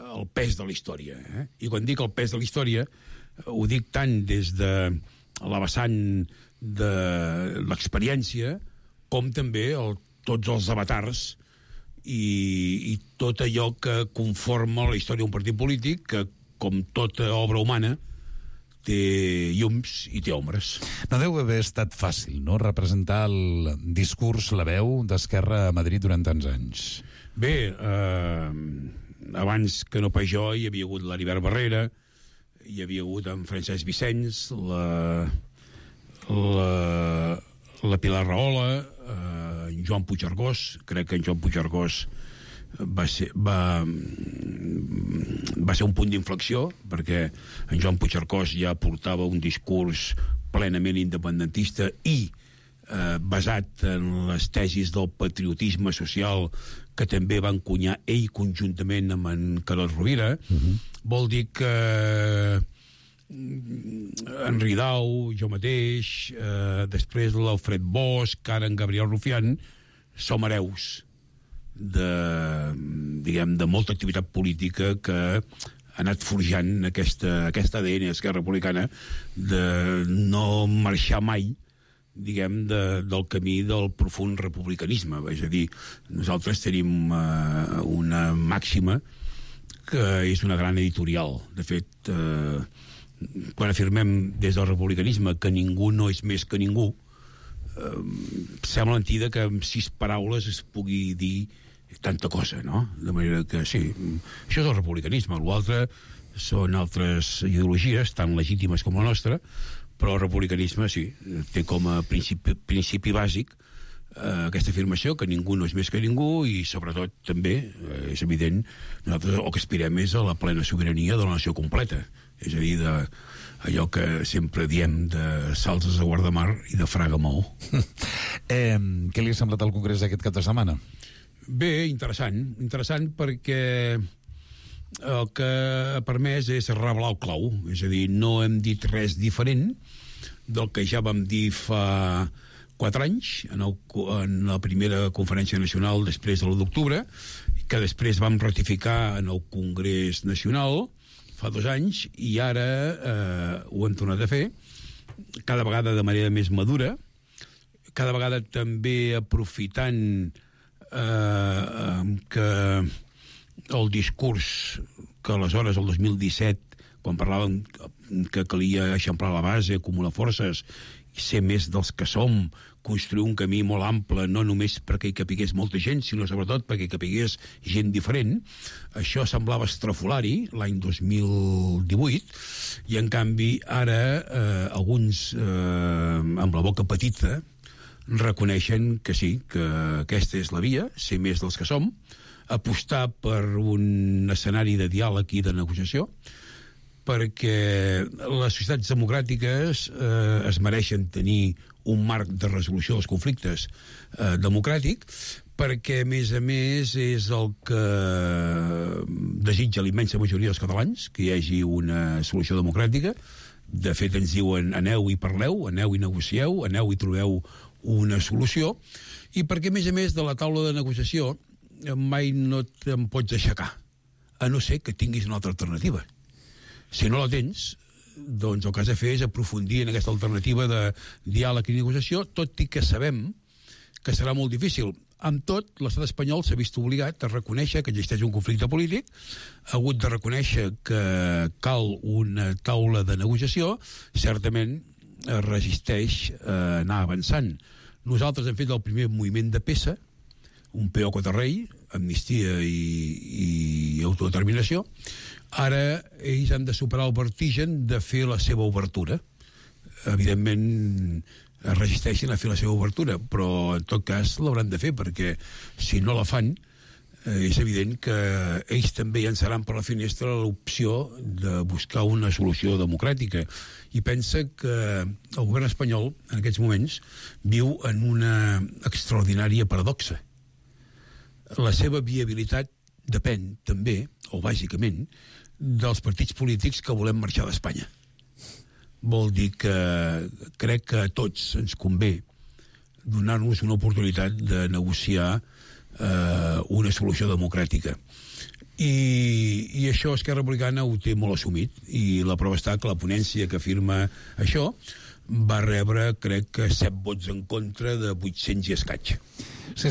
el pes de la història, i quan dic el pes de la història ho dic tant des de la vessant de l'experiència com també tots els avatars i tot allò que conforma la història d'un partit polític que, com tota obra humana, té llums i té ombres. No deu haver estat fàcil, no?, representar el discurs, la veu d'Esquerra a Madrid durant tants anys. Bé, abans que no pas jo hi havia hagut l'Heribert Barrera, hi havia hagut en Francesc Vicenç, la Pilar Rahola, en Joan Puigcercós. Crec que en Joan Puigcercós va ser un punt d'inflexió, perquè en Joan Puigcercós ja portava un discurs plenament independentista i basat en les tesis del patriotisme social que també va encunyar ell conjuntament amb en Carod Rovira. Vol dir que en Ridao, jo mateix, després l'Alfred Bosch, ara en Gabriel Rufián, som hereus de molta activitat política que ha anat forjant aquesta ADN d'Esquerra Republicana de no marxar mai, diguem, del camí del profund republicanisme. És a dir, nosaltres tenim una màxima que és una gran editorial. De fet, quan afirmem des del republicanisme que ningú no és més que ningú, sembla mentida que amb 6 paraules es pugui dir tanta cosa, no? De manera que sí, això és el republicanisme. L'altre són altres ideologies tan legítimes com la nostra, però el republicanisme sí, té com a principi bàsic aquesta afirmació que ningú no és més que ningú i sobretot també, és evident, nosaltres el que aspirem és a la plena sobirania de la nació completa, és a dir, allò que sempre diem de Salses a Guardamar i de Fraga Maó. Què li ha semblat el Congrés d'aquest cap de setmana? Bé, interessant perquè el que ha permès és revelar el clau, és a dir, no hem dit res diferent del que ja vam dir fa 4 anys en la primera conferència nacional després de l'1 d'octubre, que després vam ratificar en el Congrés Nacional fa 2 anys, i ara ho hem tornat a fer, cada vegada de manera més madura, cada vegada també aprofitant que el discurs que aleshores, el 2017, quan parlàvem que calia eixamplar la base, acumular forces, ser més dels que som, construir un camí molt ample, no només perquè hi capigués molta gent, sinó sobretot perquè hi capigués gent diferent. Això semblava estrafolari l'any 2018, i en canvi ara alguns amb la boca petita reconeixen que sí, que aquesta és la via, ser més dels que som, apostar per un escenari de diàleg i de negociació, perquè les societats democràtiques es mereixen tenir un marc de resolució dels conflictes democràtic, perquè, a més, és el que desitja la immensa majoria dels catalans, que hi hagi una solució democràtica. De fet, ens diuen aneu i parleu, aneu i negocieu, aneu i trobeu una solució, i perquè, a més, de la taula de negociació mai no te'n pots aixecar, a no ser que tinguis una altra alternativa. Si no la tens, doncs el que has de fer és aprofundir en aquesta alternativa de diàleg i negociació, tot i que sabem que serà molt difícil. Amb tot, l'estat espanyol s'ha vist obligat a reconèixer que existeix un conflicte polític, ha hagut de reconèixer que cal una taula de negociació, certament es resisteix a anar avançant. Nosaltres hem fet el primer moviment de peça, un peó contra rei, amnistia i autodeterminació. Ara ells han de superar el vertigen de fer la seva obertura. Evidentment es resisteixen a fer la seva obertura, però en tot cas l'hauran de fer, perquè si no la fan és evident que ells també llançaran per la finestra l'opció de buscar una solució democràtica. I pensa que el govern espanyol en aquests moments viu en una extraordinària paradoxa. La seva viabilitat depèn també, o bàsicament, dels partits polítics que volem marxar d'Espanya. Vol dir que crec que a tots ens convé donar-nos una oportunitat de negociar una solució democràtica. I això Esquerra Republicana ho té molt assumit, i la prova està que la ponència que firma això va rebre, crec que 7 vots en contra de 800 i escaig. Sí,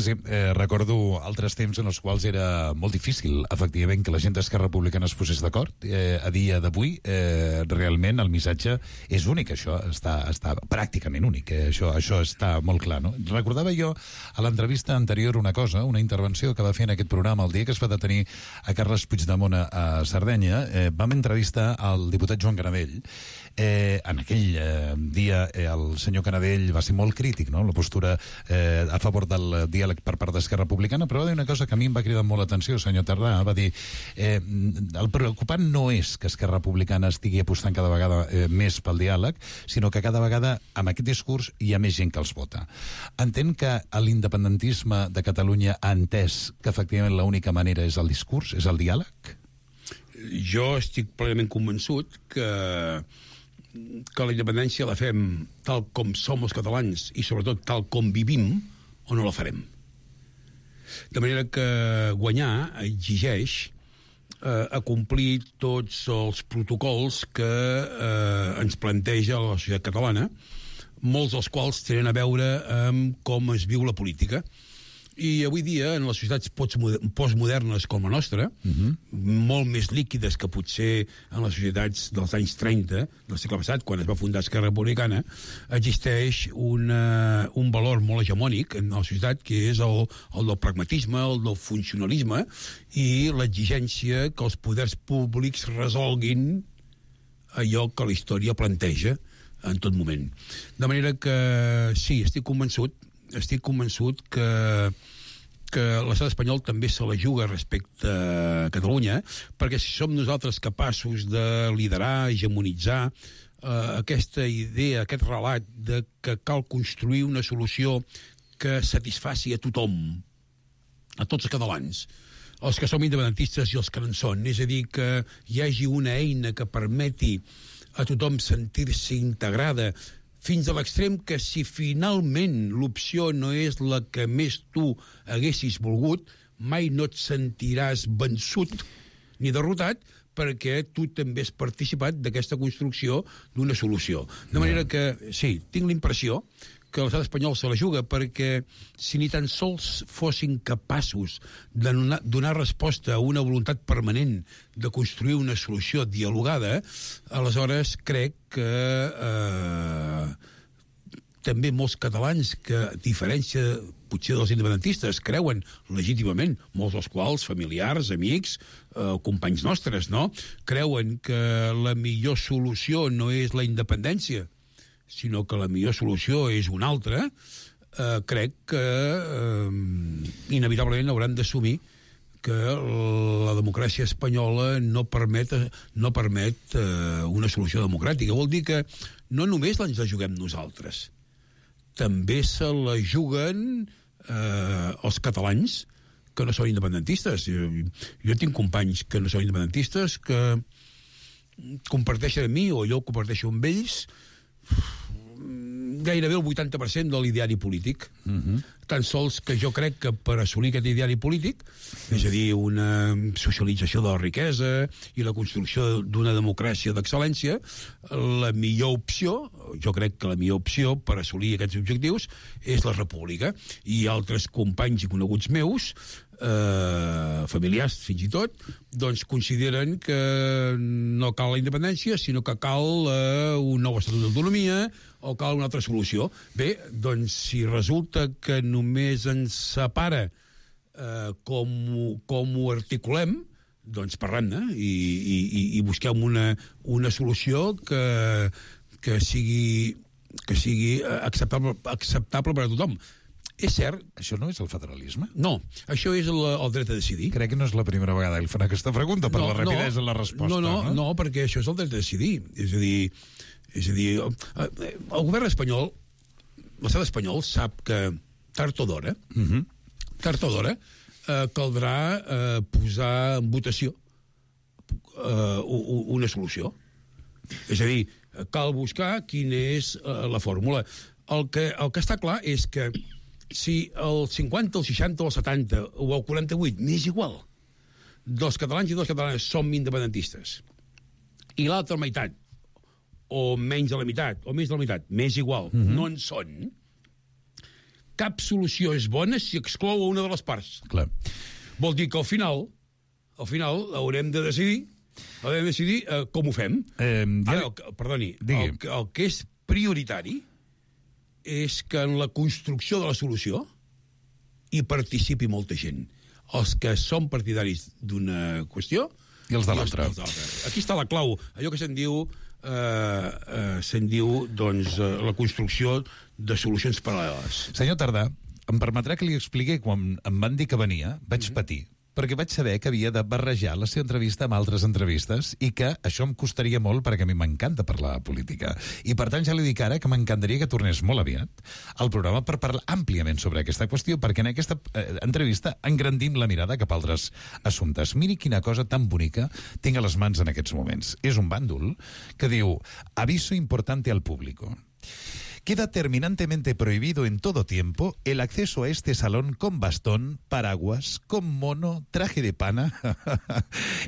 recordo altres temps en els quals era molt difícil, efectivament, que la gent d'Esquerra Republicana es posés d'acord. A dia d'avui, realment, el missatge és únic, això està pràcticament únic, això està molt clar, no? Recordava jo a l'entrevista anterior una cosa, una intervenció que va fer en aquest programa el dia que es va detenir a Carles Puigdemont a Sardenya. Vam entrevistar al diputat Joan Canadell. En aquell dia el senyor Canadell va ser molt crític, no?, la postura a favor del diàleg per part d'Esquerra Republicana, però va dir una cosa que a mi em va cridar molt l'atenció, el senyor Tardà, va dir el preocupant no és que Esquerra Republicana estigui apostant cada vegada més pel diàleg, sinó que cada vegada amb aquest discurs hi ha més gent que els vota. Entén que l'independentisme de Catalunya ha entès que efectivament l'única manera és el discurs, és el diàleg? Jo estic plenament convençut que la independència la fem tal com som els catalans i sobretot tal com vivim, o no la farem. De manera que guanyar exigeix acomplir tots els protocols que ens planteja la societat catalana, molts dels quals tenen a veure amb com es viu la política. I avui dia, en les societats postmodernes com la nostra, molt més líquides que potser en les societats dels anys 30 del segle passat, quan es va fundar Esquerra Republicana, existeix un valor molt hegemònic en la societat, que és el del pragmatisme, el del funcionalisme i l'exigència que els poders públics resolguin allò que la història planteja en tot moment. De manera que sí, estic convençut que l'estat espanyol també se la juga respecte a Catalunya, perquè si som nosaltres capaços de liderar, hegemonitzar aquesta idea, aquest relat de que cal construir una solució que satisfaci a tothom, a tots els catalans, els que som independentistes i els que no en són, és a dir, que hi hagi una eina que permeti a tothom sentir-se integrada, fins a l'extrem que si finalment l'opció no és la que més tu haguessis volgut, mai no et sentiràs vençut ni derrotat, perquè tu també has participat d'aquesta construcció d'una solució. De manera que, sí, tinc l'impressió que l'estat espanyol se la juga, perquè si ni tan sols fossin capaços de donar resposta a una voluntat permanent de construir una solució dialogada, aleshores crec que també molts catalans que, a diferència potser dels independentistes, creuen legítimament, molts dels quals familiars, amics, companys nostres, no?, creuen que la millor solució no és la independència, sinó que la millor solució és una altra, crec que inevitablement hauran d'assumir que la democràcia espanyola no permet una solució democràtica. Vol dir que no només ens la juguem nosaltres, també se la juguen els catalans que no són independentistes. Jo tinc companys que no són independentistes que comparteixen amb mi, o jo comparteixo amb ells, gairebé el 80% de l'ideari polític. Tan sols que jo crec que per assolir aquest ideari polític, és a dir, una socialització de la riquesa i la construcció d'una democràcia d'excel·lència, la millor opció, jo crec que la millor opció per assolir aquests objectius és la república. I altres companys i coneguts meus, familiars fins i tot, doncs consideren que no cal la independència, sinó que cal un nou estatut d'autonomia o cal una altra solució. Bé, doncs si resulta que només ens separa com ho articulem, doncs parlem-ne i busquem una solució que sigui acceptable per a tothom. És cert... Això no és el federalisme? No, això és el dret a decidir. Crec que no és la primera vegada que li fan aquesta pregunta, per la rapidesa en la resposta. No, perquè això és el dret a decidir. És a dir, el govern espanyol, l'estat espanyol, sap que tard o d'hora, caldrà posar en votació una solució. És a dir, cal buscar quina és la fórmula. El que està clar és que si el 50, el 60, el 70 o el 48, m'és igual, dels catalans i de les catalanes som independentistes, i l'altra meitat, o menys de la meitat, o més de la meitat, m'és igual, no en són, cap solució és bona si exclou una de les parts. Clar. Vol dir que al final haurem de decidir com ho fem. Perdoni, el que és prioritari és que en la construcció de la solució hi participi molta gent. Els que són partidaris d'una qüestió i els de l'altra. Aquí està la clau. Allò que se'n diu la construcció de solucions paral·leles. Senyor Tardà, em permetrà que li expliqui quan em van dir que venia, vaig patir, perquè vaig saber que havia de barrejar la seva entrevista amb altres entrevistes i que això em costaria molt perquè a mi m'encanta parlar de política. I per tant ja li dic ara que m'encantaria que tornés molt aviat al programa per parlar àmpliament sobre aquesta qüestió, perquè en aquesta entrevista engrandim la mirada cap a altres assumptes. Miri quina cosa tan bonica tinc a les mans en aquests moments. És un bàndol que diu «Aviso importante al público». Queda terminantemente prohibido en todo tiempo el acceso a este salón con bastón, paraguas, con mono, traje de pana,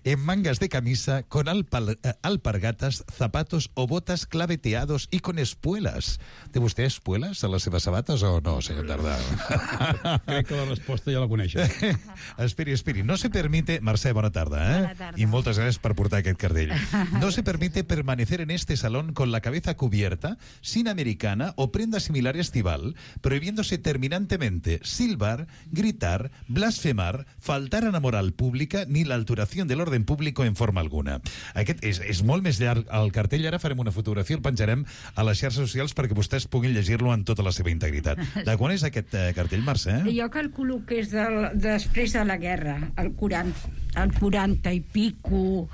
en mangas de camisa, con alpargatas, zapatos o botas claveteados y con espuelas. ¿Té vostè espuelas a les seves sabates o no, senyor Tardà? Crec que la resposta ja la coneixes. Esperi. No se permite... Mercè, bona tarda, Bona tarda. I moltes gràcies per portar aquest cartell. No se permite permanecer en este salón con la cabeza cubierta, sin americana o prenda similar estival, prohibiéndose terminantemente silbar, gritar, blasfemar, faltar a la moral pública ni la alteración del orden público en forma alguna. Aquest és molt més llarg el cartell. Ara farem una fotografia, el penjarem a les xarxes socials perquè vostès puguin llegir-lo en tota la seva integritat. De quan és aquest cartell, Mercè? Jo calculo que és després de la guerra, el 40 i pico,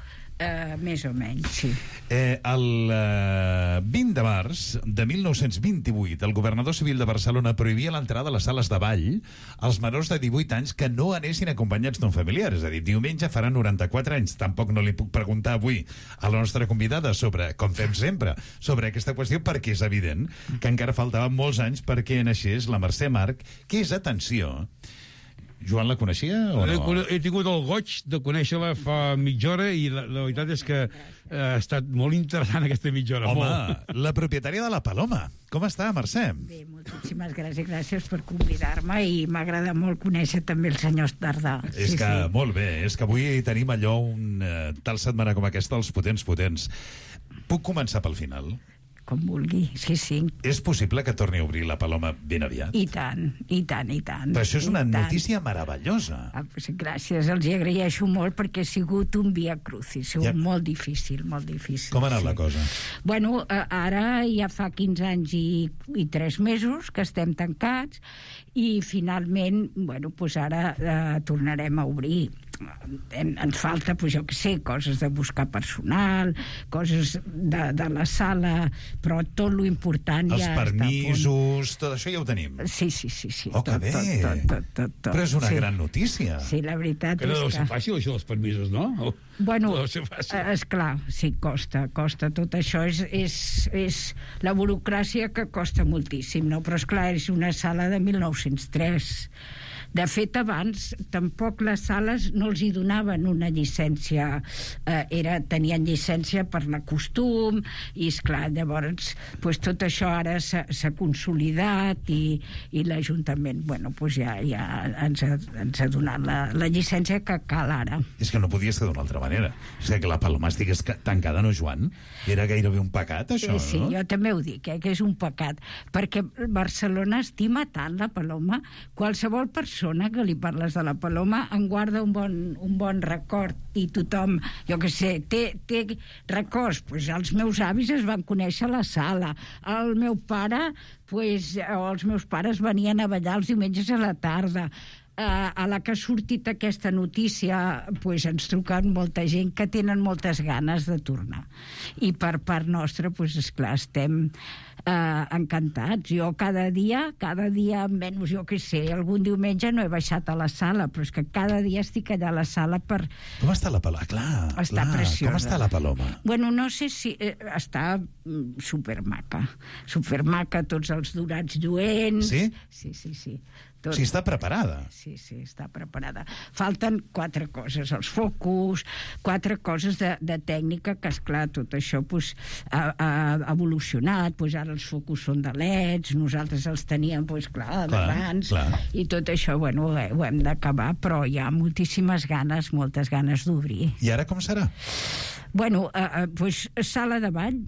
més o menys, sí. El 20 de març de 1928, el governador civil de Barcelona prohibia l'entrada a les sales de ball als menors de 18 anys que no anessin acompanyats d'un familiar. És a dir, diumenge farà 94 anys. Tampoc no li puc preguntar avui a la nostra convidada sobre, com fem sempre, sobre aquesta qüestió, perquè és evident que encara faltaven molts anys perquè naixés la Mercè March, que és, atenció... Joan la coneixia o no? He tingut el goig de conèixer-la fa mitja hora i la veritat és que ha estat molt interessant aquesta mitja hora. Home, la propietària de la Paloma. Com està, Mercè? Bé, moltíssimes gràcies per convidar-me i m'agrada molt conèixer també el senyor Tardà. És que, molt bé, és que avui tenim allò, tal setmana com aquesta, els potents. Puc començar pel final? Com vulgui, sí. És possible que torni a obrir la Paloma ben aviat? I tant. Però això és una notícia meravellosa. Gràcies, els hi agraeixo molt perquè ha sigut un via crucis, molt difícil. Com ha anat la cosa? Bueno, ara ja fa 15 anys i 3 mesos que estem tancats i finalment, bueno, doncs ara tornarem a obrir. ens falta, pues, jo què sé, coses de buscar personal, coses de la sala, però tot lo important els ja permisos, tot això ja ho tenim. Sí. Oh, que bé! Tot. Però és una gran notícia. Sí, la veritat Que no deu ser fàcil, això dels permisos, no? Bueno, no deu ser fàcil. esclar, sí, costa. Tot això és la burocràcia que costa moltíssim, no? Però, esclar, és una sala de 1903. De fet, abans tampoc les sales no els hi donaven una llicència, tenien llicència per la costum, i esclar, llavors tot això ara s'ha consolidat i l'Ajuntament ja ens ha donat la llicència que cal ara. És que no podia ser d'una altra manera. És que la Paloma estigués tancada, no, Joan? Era gairebé un pecat, això, no? Sí, jo també ho dic, que és un pecat, perquè Barcelona estima tant la Paloma. Qualsevol persona que li parles de la Paloma en guarda un bon record, i tothom, jo què sé, té records. Els meus avis es van conèixer a la sala, el meu pare, o els meus pares venien a ballar els diumenges a la tarda. A la que ha sortit aquesta notícia, ens truquen molta gent que tenen moltes ganes de tornar. I per part nostra, esclar, estem encantats. Jo cada dia, menys, jo què sé, algun diumenge no he baixat a la sala, però és que cada dia estic allà a la sala per... Com està la Paloma? Clar, està preciosa. Com està la Paloma? Bueno, no sé si... està supermaca, tots els dorats lluents... Sí? Sí. Tot. Sí, està preparada. Sí, està preparada. Falten 4 coses, els focus, 4 coses de tècnica, que, esclar, tot això ha evolucionat. Ara els focus són de LEDs, nosaltres els teníem, d'abans, i tot això, ho hem d'acabar, però hi ha moltes ganes d'obrir. I ara com serà? Sala de ball,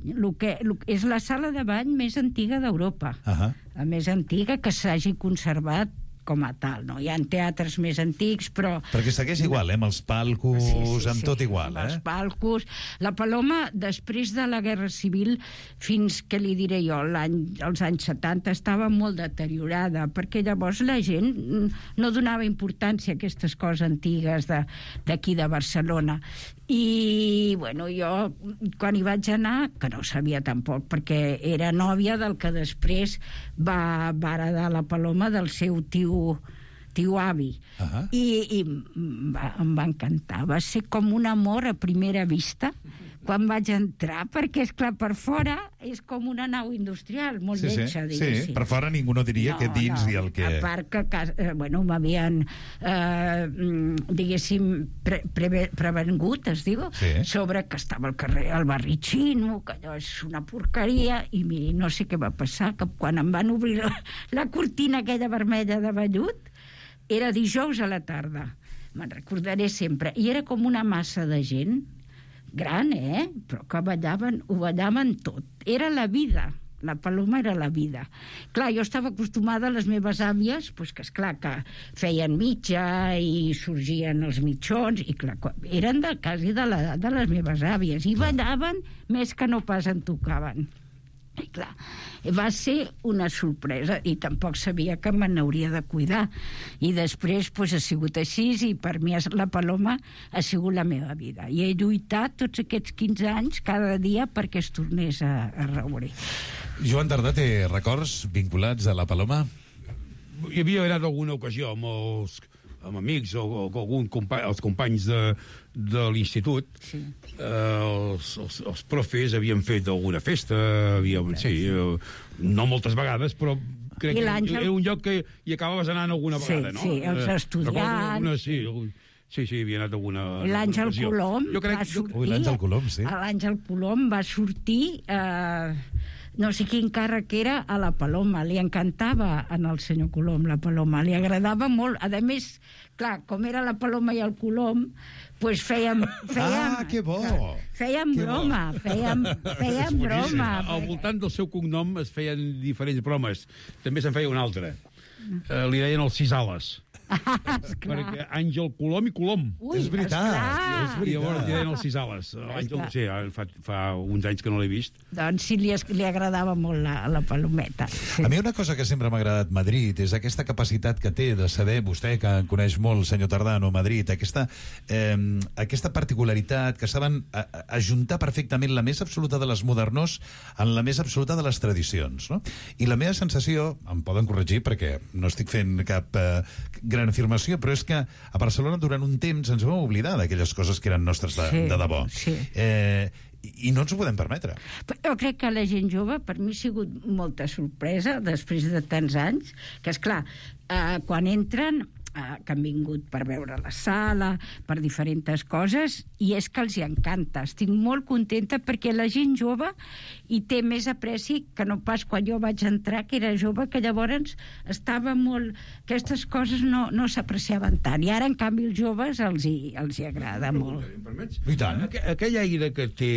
és la sala de ball més antiga d'Europa, la més antiga que s'hagi conservat com a tal, no? Hi ha teatres més antics, però... Perquè segueix igual, amb els palcos, amb tot igual, els palcos. La Paloma, després de la Guerra Civil, fins que li diré jo, als anys 70, estava molt deteriorada, perquè llavors la gent no donava importància a aquestes coses antigues d'aquí de Barcelona. I, jo, quan hi vaig anar, que no sabia tampoc, perquè era nòvia del que després va heredar la Paloma del seu tio avi. I em va encantar. Va ser com un amor a primera vista quan vaig entrar, perquè, esclar, per fora és com una nau industrial, molt lletja, diguéssim. Sí, per fora ningú no diria que dins i el que... A part que, m'havien, diguéssim, prevengut, es diu, sobre que estava al carrer el barri xino, que allò és una porqueria, i miri, no sé què va passar, que quan em van obrir la cortina aquella vermella de vellut, era dijous a la tarda, me'n recordaré sempre, i era com una massa de gent, gran, però que ho ballaven tot. Era la vida. La Paloma era la vida. Clar, jo estava acostumada a les meves àvies, que esclar, que feien mitja i sorgien els mitjons, i clar, eren quasi de l'edat de les meves àvies, i ballaven més que no pas en tocaven. I clar, va ser una sorpresa, i tampoc sabia que me n'hauria de cuidar, i després ha sigut així, i per mi la Paloma ha sigut la meva vida, i he lluitat tots aquests 15 anys cada dia perquè es tornés a reobrir. Joan Tardà té records vinculats a la Paloma? Hi havia anat alguna ocasió amb amics o els companys de l'institut. Els profes havien fet alguna festa, no moltes vegades, però crec que era un lloc que hi acabaves anant alguna vegada, no? Sí, els estudiants... Sí, havia anat alguna... L'Àngel Colom va sortir... L'Àngel Colom, sí. L'Àngel Colom va sortir... no sé quin càrrec era a la Paloma, li encantava al senyor Colom la Paloma, li agradava molt, a més, clar, com era la Paloma i el Colom, fèiem que bo! Fèiem broma, fèiem broma. Al voltant del seu cognom es feien diferents bromes, també se'n feia una altra, li deien els 6 ales. Perquè Àngel Colom i Colom. Ui, és veritat, és veritat. I llavors ja eren els Cisales. L'Àngel, sí, fa uns anys que no l'he vist. Doncs sí, li agradava molt la Palometa. Sí. A mi una cosa que sempre m'ha agradat Madrid és aquesta capacitat que té de saber, vostè que coneix molt, senyor Tardano, Madrid, aquesta particularitat que saben ajuntar perfectament la més absoluta de les modernors en la més absoluta de les tradicions, no? I la meva sensació, em poden corregir perquè no estic fent cap gran afirmació, però és que a Barcelona durant un temps ens vam oblidar d'aquelles coses que eren nostres de debò. Sí. I no ens ho podem permetre. Jo crec que la gent jove, per mi ha sigut molta sorpresa, després de tants anys, que esclar, quan entren, que han vingut per veure la sala, per diferents coses, i és que els hi encanta. Estic molt contenta perquè la gent jove hi té més apreci que no pas quan jo vaig entrar, que era jove, que llavors estava molt... Aquestes coses no s'apreciaven tant, i ara, en canvi, els joves els hi agrada molt. I tant. Aquell aire que té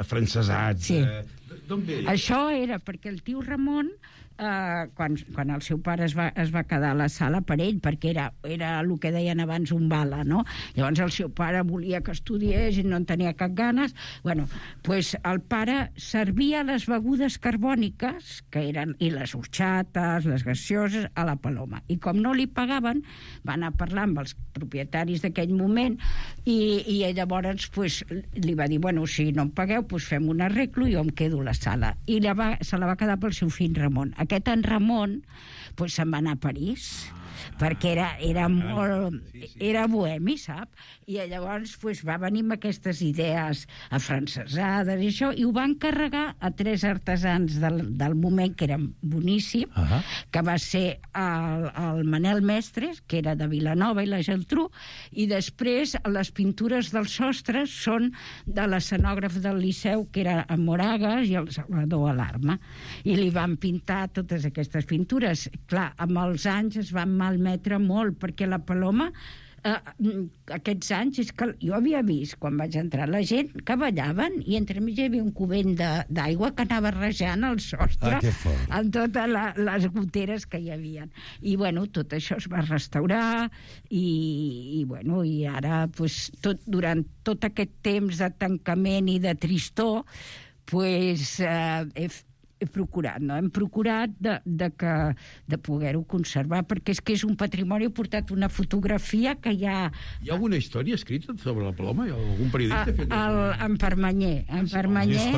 afrancesat, d'on ve? Això era perquè el tio Ramon, quan el seu pare es va quedar a la sala per ell, perquè era el que deien abans un bala, no? Llavors el seu pare volia que estudiés i no en tenia cap ganes. Bueno, pues el pare servia les begudes carbòniques, que eren, i les horxates, les gaseoses, a la Paloma. I com no li pagaven, va anar a parlar amb els propietaris d'aquell moment i llavors pues, li va dir, bueno, si no em pagueu, pues fem un arreglo i jo em quedo a la sala. I se la va quedar pel seu fill Ramon. Aquest en Ramon pues, se'n va anar a París, perquè era molt... Era bohemi, sap? I llavors pues, va venir amb aquestes idees afrancesades i això, i ho va encarregar a 3 artesans del moment, que eren boníssims, que va ser el Manel Mestres, que era de Vilanova, i la Geltrú, i després les pintures dels sostres són de l'escenògraf del Liceu, que era en Moragas, i el Salvador Alarma. I li van pintar totes aquestes pintures. Clar, amb els anys es van malmetre molt, perquè la Paloma aquests anys, és que jo havia vist quan vaig entrar la gent que ballaven i entremig hi havia un cubell d'aigua que anava rejant el sostre en totes les goteres que hi havia. I bueno, tot això es va restaurar i ara pues, durant tot aquest temps de tancament i de tristor pues, he procurat, no? Hem procurat de poder-ho conservar, perquè és un patrimoni. He portat una fotografia que hi ha... Hi ha alguna història escrita sobre la Paloma? Hi ha algun periodista? En Permanyer. En Permanyer.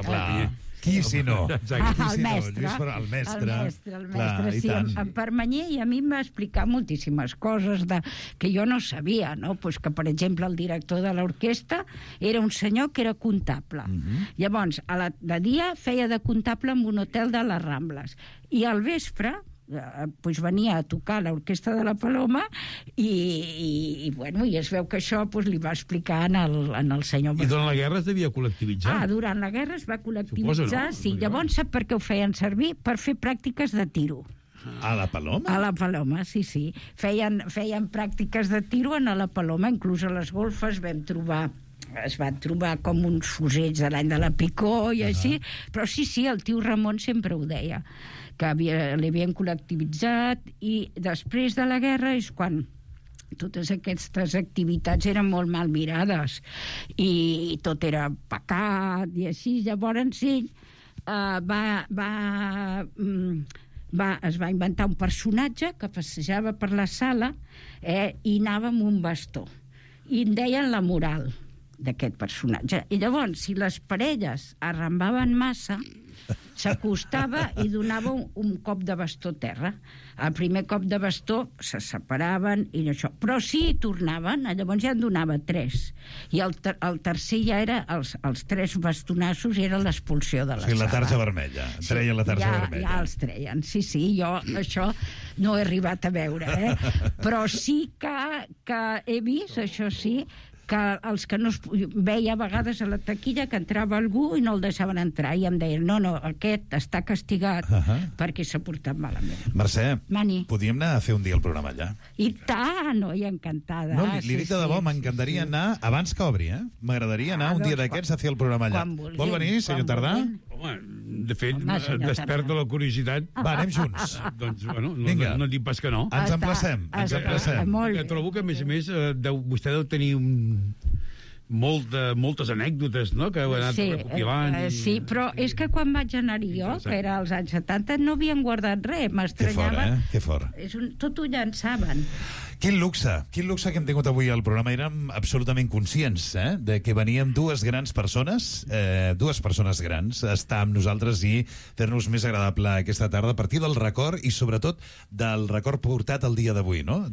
Clar. Qui si no? El mestre. El mestre, sí, en Permanyer, i a mi em va explicar moltíssimes coses que jo no sabia, no? Pues que, per exemple, el director de l'orquestra era un senyor que era comptable. Llavors, de dia feia de comptable en un hotel de les Rambles. I al vespre pues venia a tocar l'orquestra de la Paloma i es veu que això pues, li va explicar en el senyor... I durant la guerra es devia col·lectivitzar? Durant la guerra es va col·lectivitzar, suposo, no? Sí. Llavors sap per què ho feien servir? Per fer pràctiques de tiro. A la Paloma? A la Paloma, sí. Feien pràctiques de tiro a la Paloma, inclús a les golfes es van trobar com uns fusells de l'any de la Picó i així, però sí, el tio Ramon sempre ho deia, que l'havien col·lectivitzat, i després de la guerra és quan totes aquestes activitats eren molt mal mirades i tot era pecat i així. Llavors ell es va inventar un personatge que passejava per la sala i anava amb un bastó i en deien la moral d'aquest personatge. I llavors, si les parelles arrambaven massa, s'acostava i donava un cop de bastó a terra. El primer cop de bastó se separaven i això. Però sí tornaven, llavors ja en donava 3. I el tercer ja era els 3 bastonassos, era l'expulsió de la sala. La tarja vermella. Treien la tarja vermella. Ja els treien, sí. Jo això no he arribat a veure, però sí que he vist, això sí, que els que no es veia a vegades a la taquilla que entrava algú i no el deixaven entrar i em deien, no, aquest està castigat perquè s'ha portat malament. Mercè, Mani, podíem anar a fer un dia el programa allà? I tant, i encantada. No, li dic de debò, m'encantaria anar abans que obri, M'agradaria anar un dia d'aquests a fer el programa allà. Vol venir, senyor Tardà? Home, De fet, desperta la curiositat. Va, anem junts. Doncs, bueno, Vinga. no dic pas que no. Ens emplacem. Trobo que, a més, vostè deu tenir moltes anècdotes, no?, que heu anat recopilant. Sí, però és que quan vaig anar-hi jo, que era als anys 70, no havien guardat res, m'estranyava. Que fort, Tot ho llançaven. Quin luxe que hem tingut avui al programa. Érem absolutament conscients de que veníem dues persones grans, a estar amb nosaltres i fer-nos més agradable aquesta tarda a partir del record i sobretot del record portat al dia d'avui, no?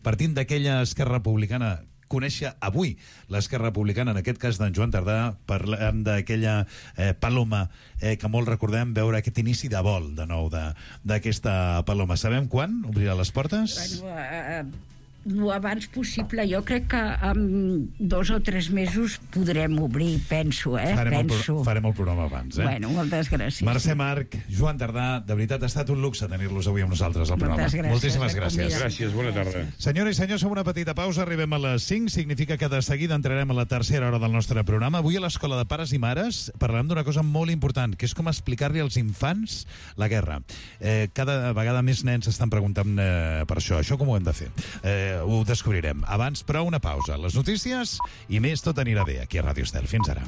Partint d'aquella Esquerra Republicana, conèixer avui l'Esquerra Republicana, en aquest cas d'en Joan Tardà, parlem d'aquella Paloma que molt recordem, veure aquest inici de vol de nou d'aquesta Paloma. Sabem quan obrirà les portes? Lo abans possible. Jo crec que en 2 o 3 mesos podrem obrir, penso, Farem el programa abans, Bueno, moltes gràcies. Mercè Marc, Joan Tardà, de veritat ha estat un luxe tenir-los avui amb nosaltres al programa. Moltes gràcies. Moltíssimes gràcies. Gràcies, bona tarda. Senyores i senyors, fem una petita pausa, arribem a les 5, significa que de seguida entrarem a la tercera hora del nostre programa. Avui a l'Escola de Pares i Mares parlarem d'una cosa molt important, que és com explicar-li als infants la guerra. Cada vegada més nens s'estan preguntant per això. Això com ho hem de fer? Ho descobrirem. Abans, però, una pausa. Les notícies i més, tot anirà bé aquí a Ràdio Estel. Fins ara.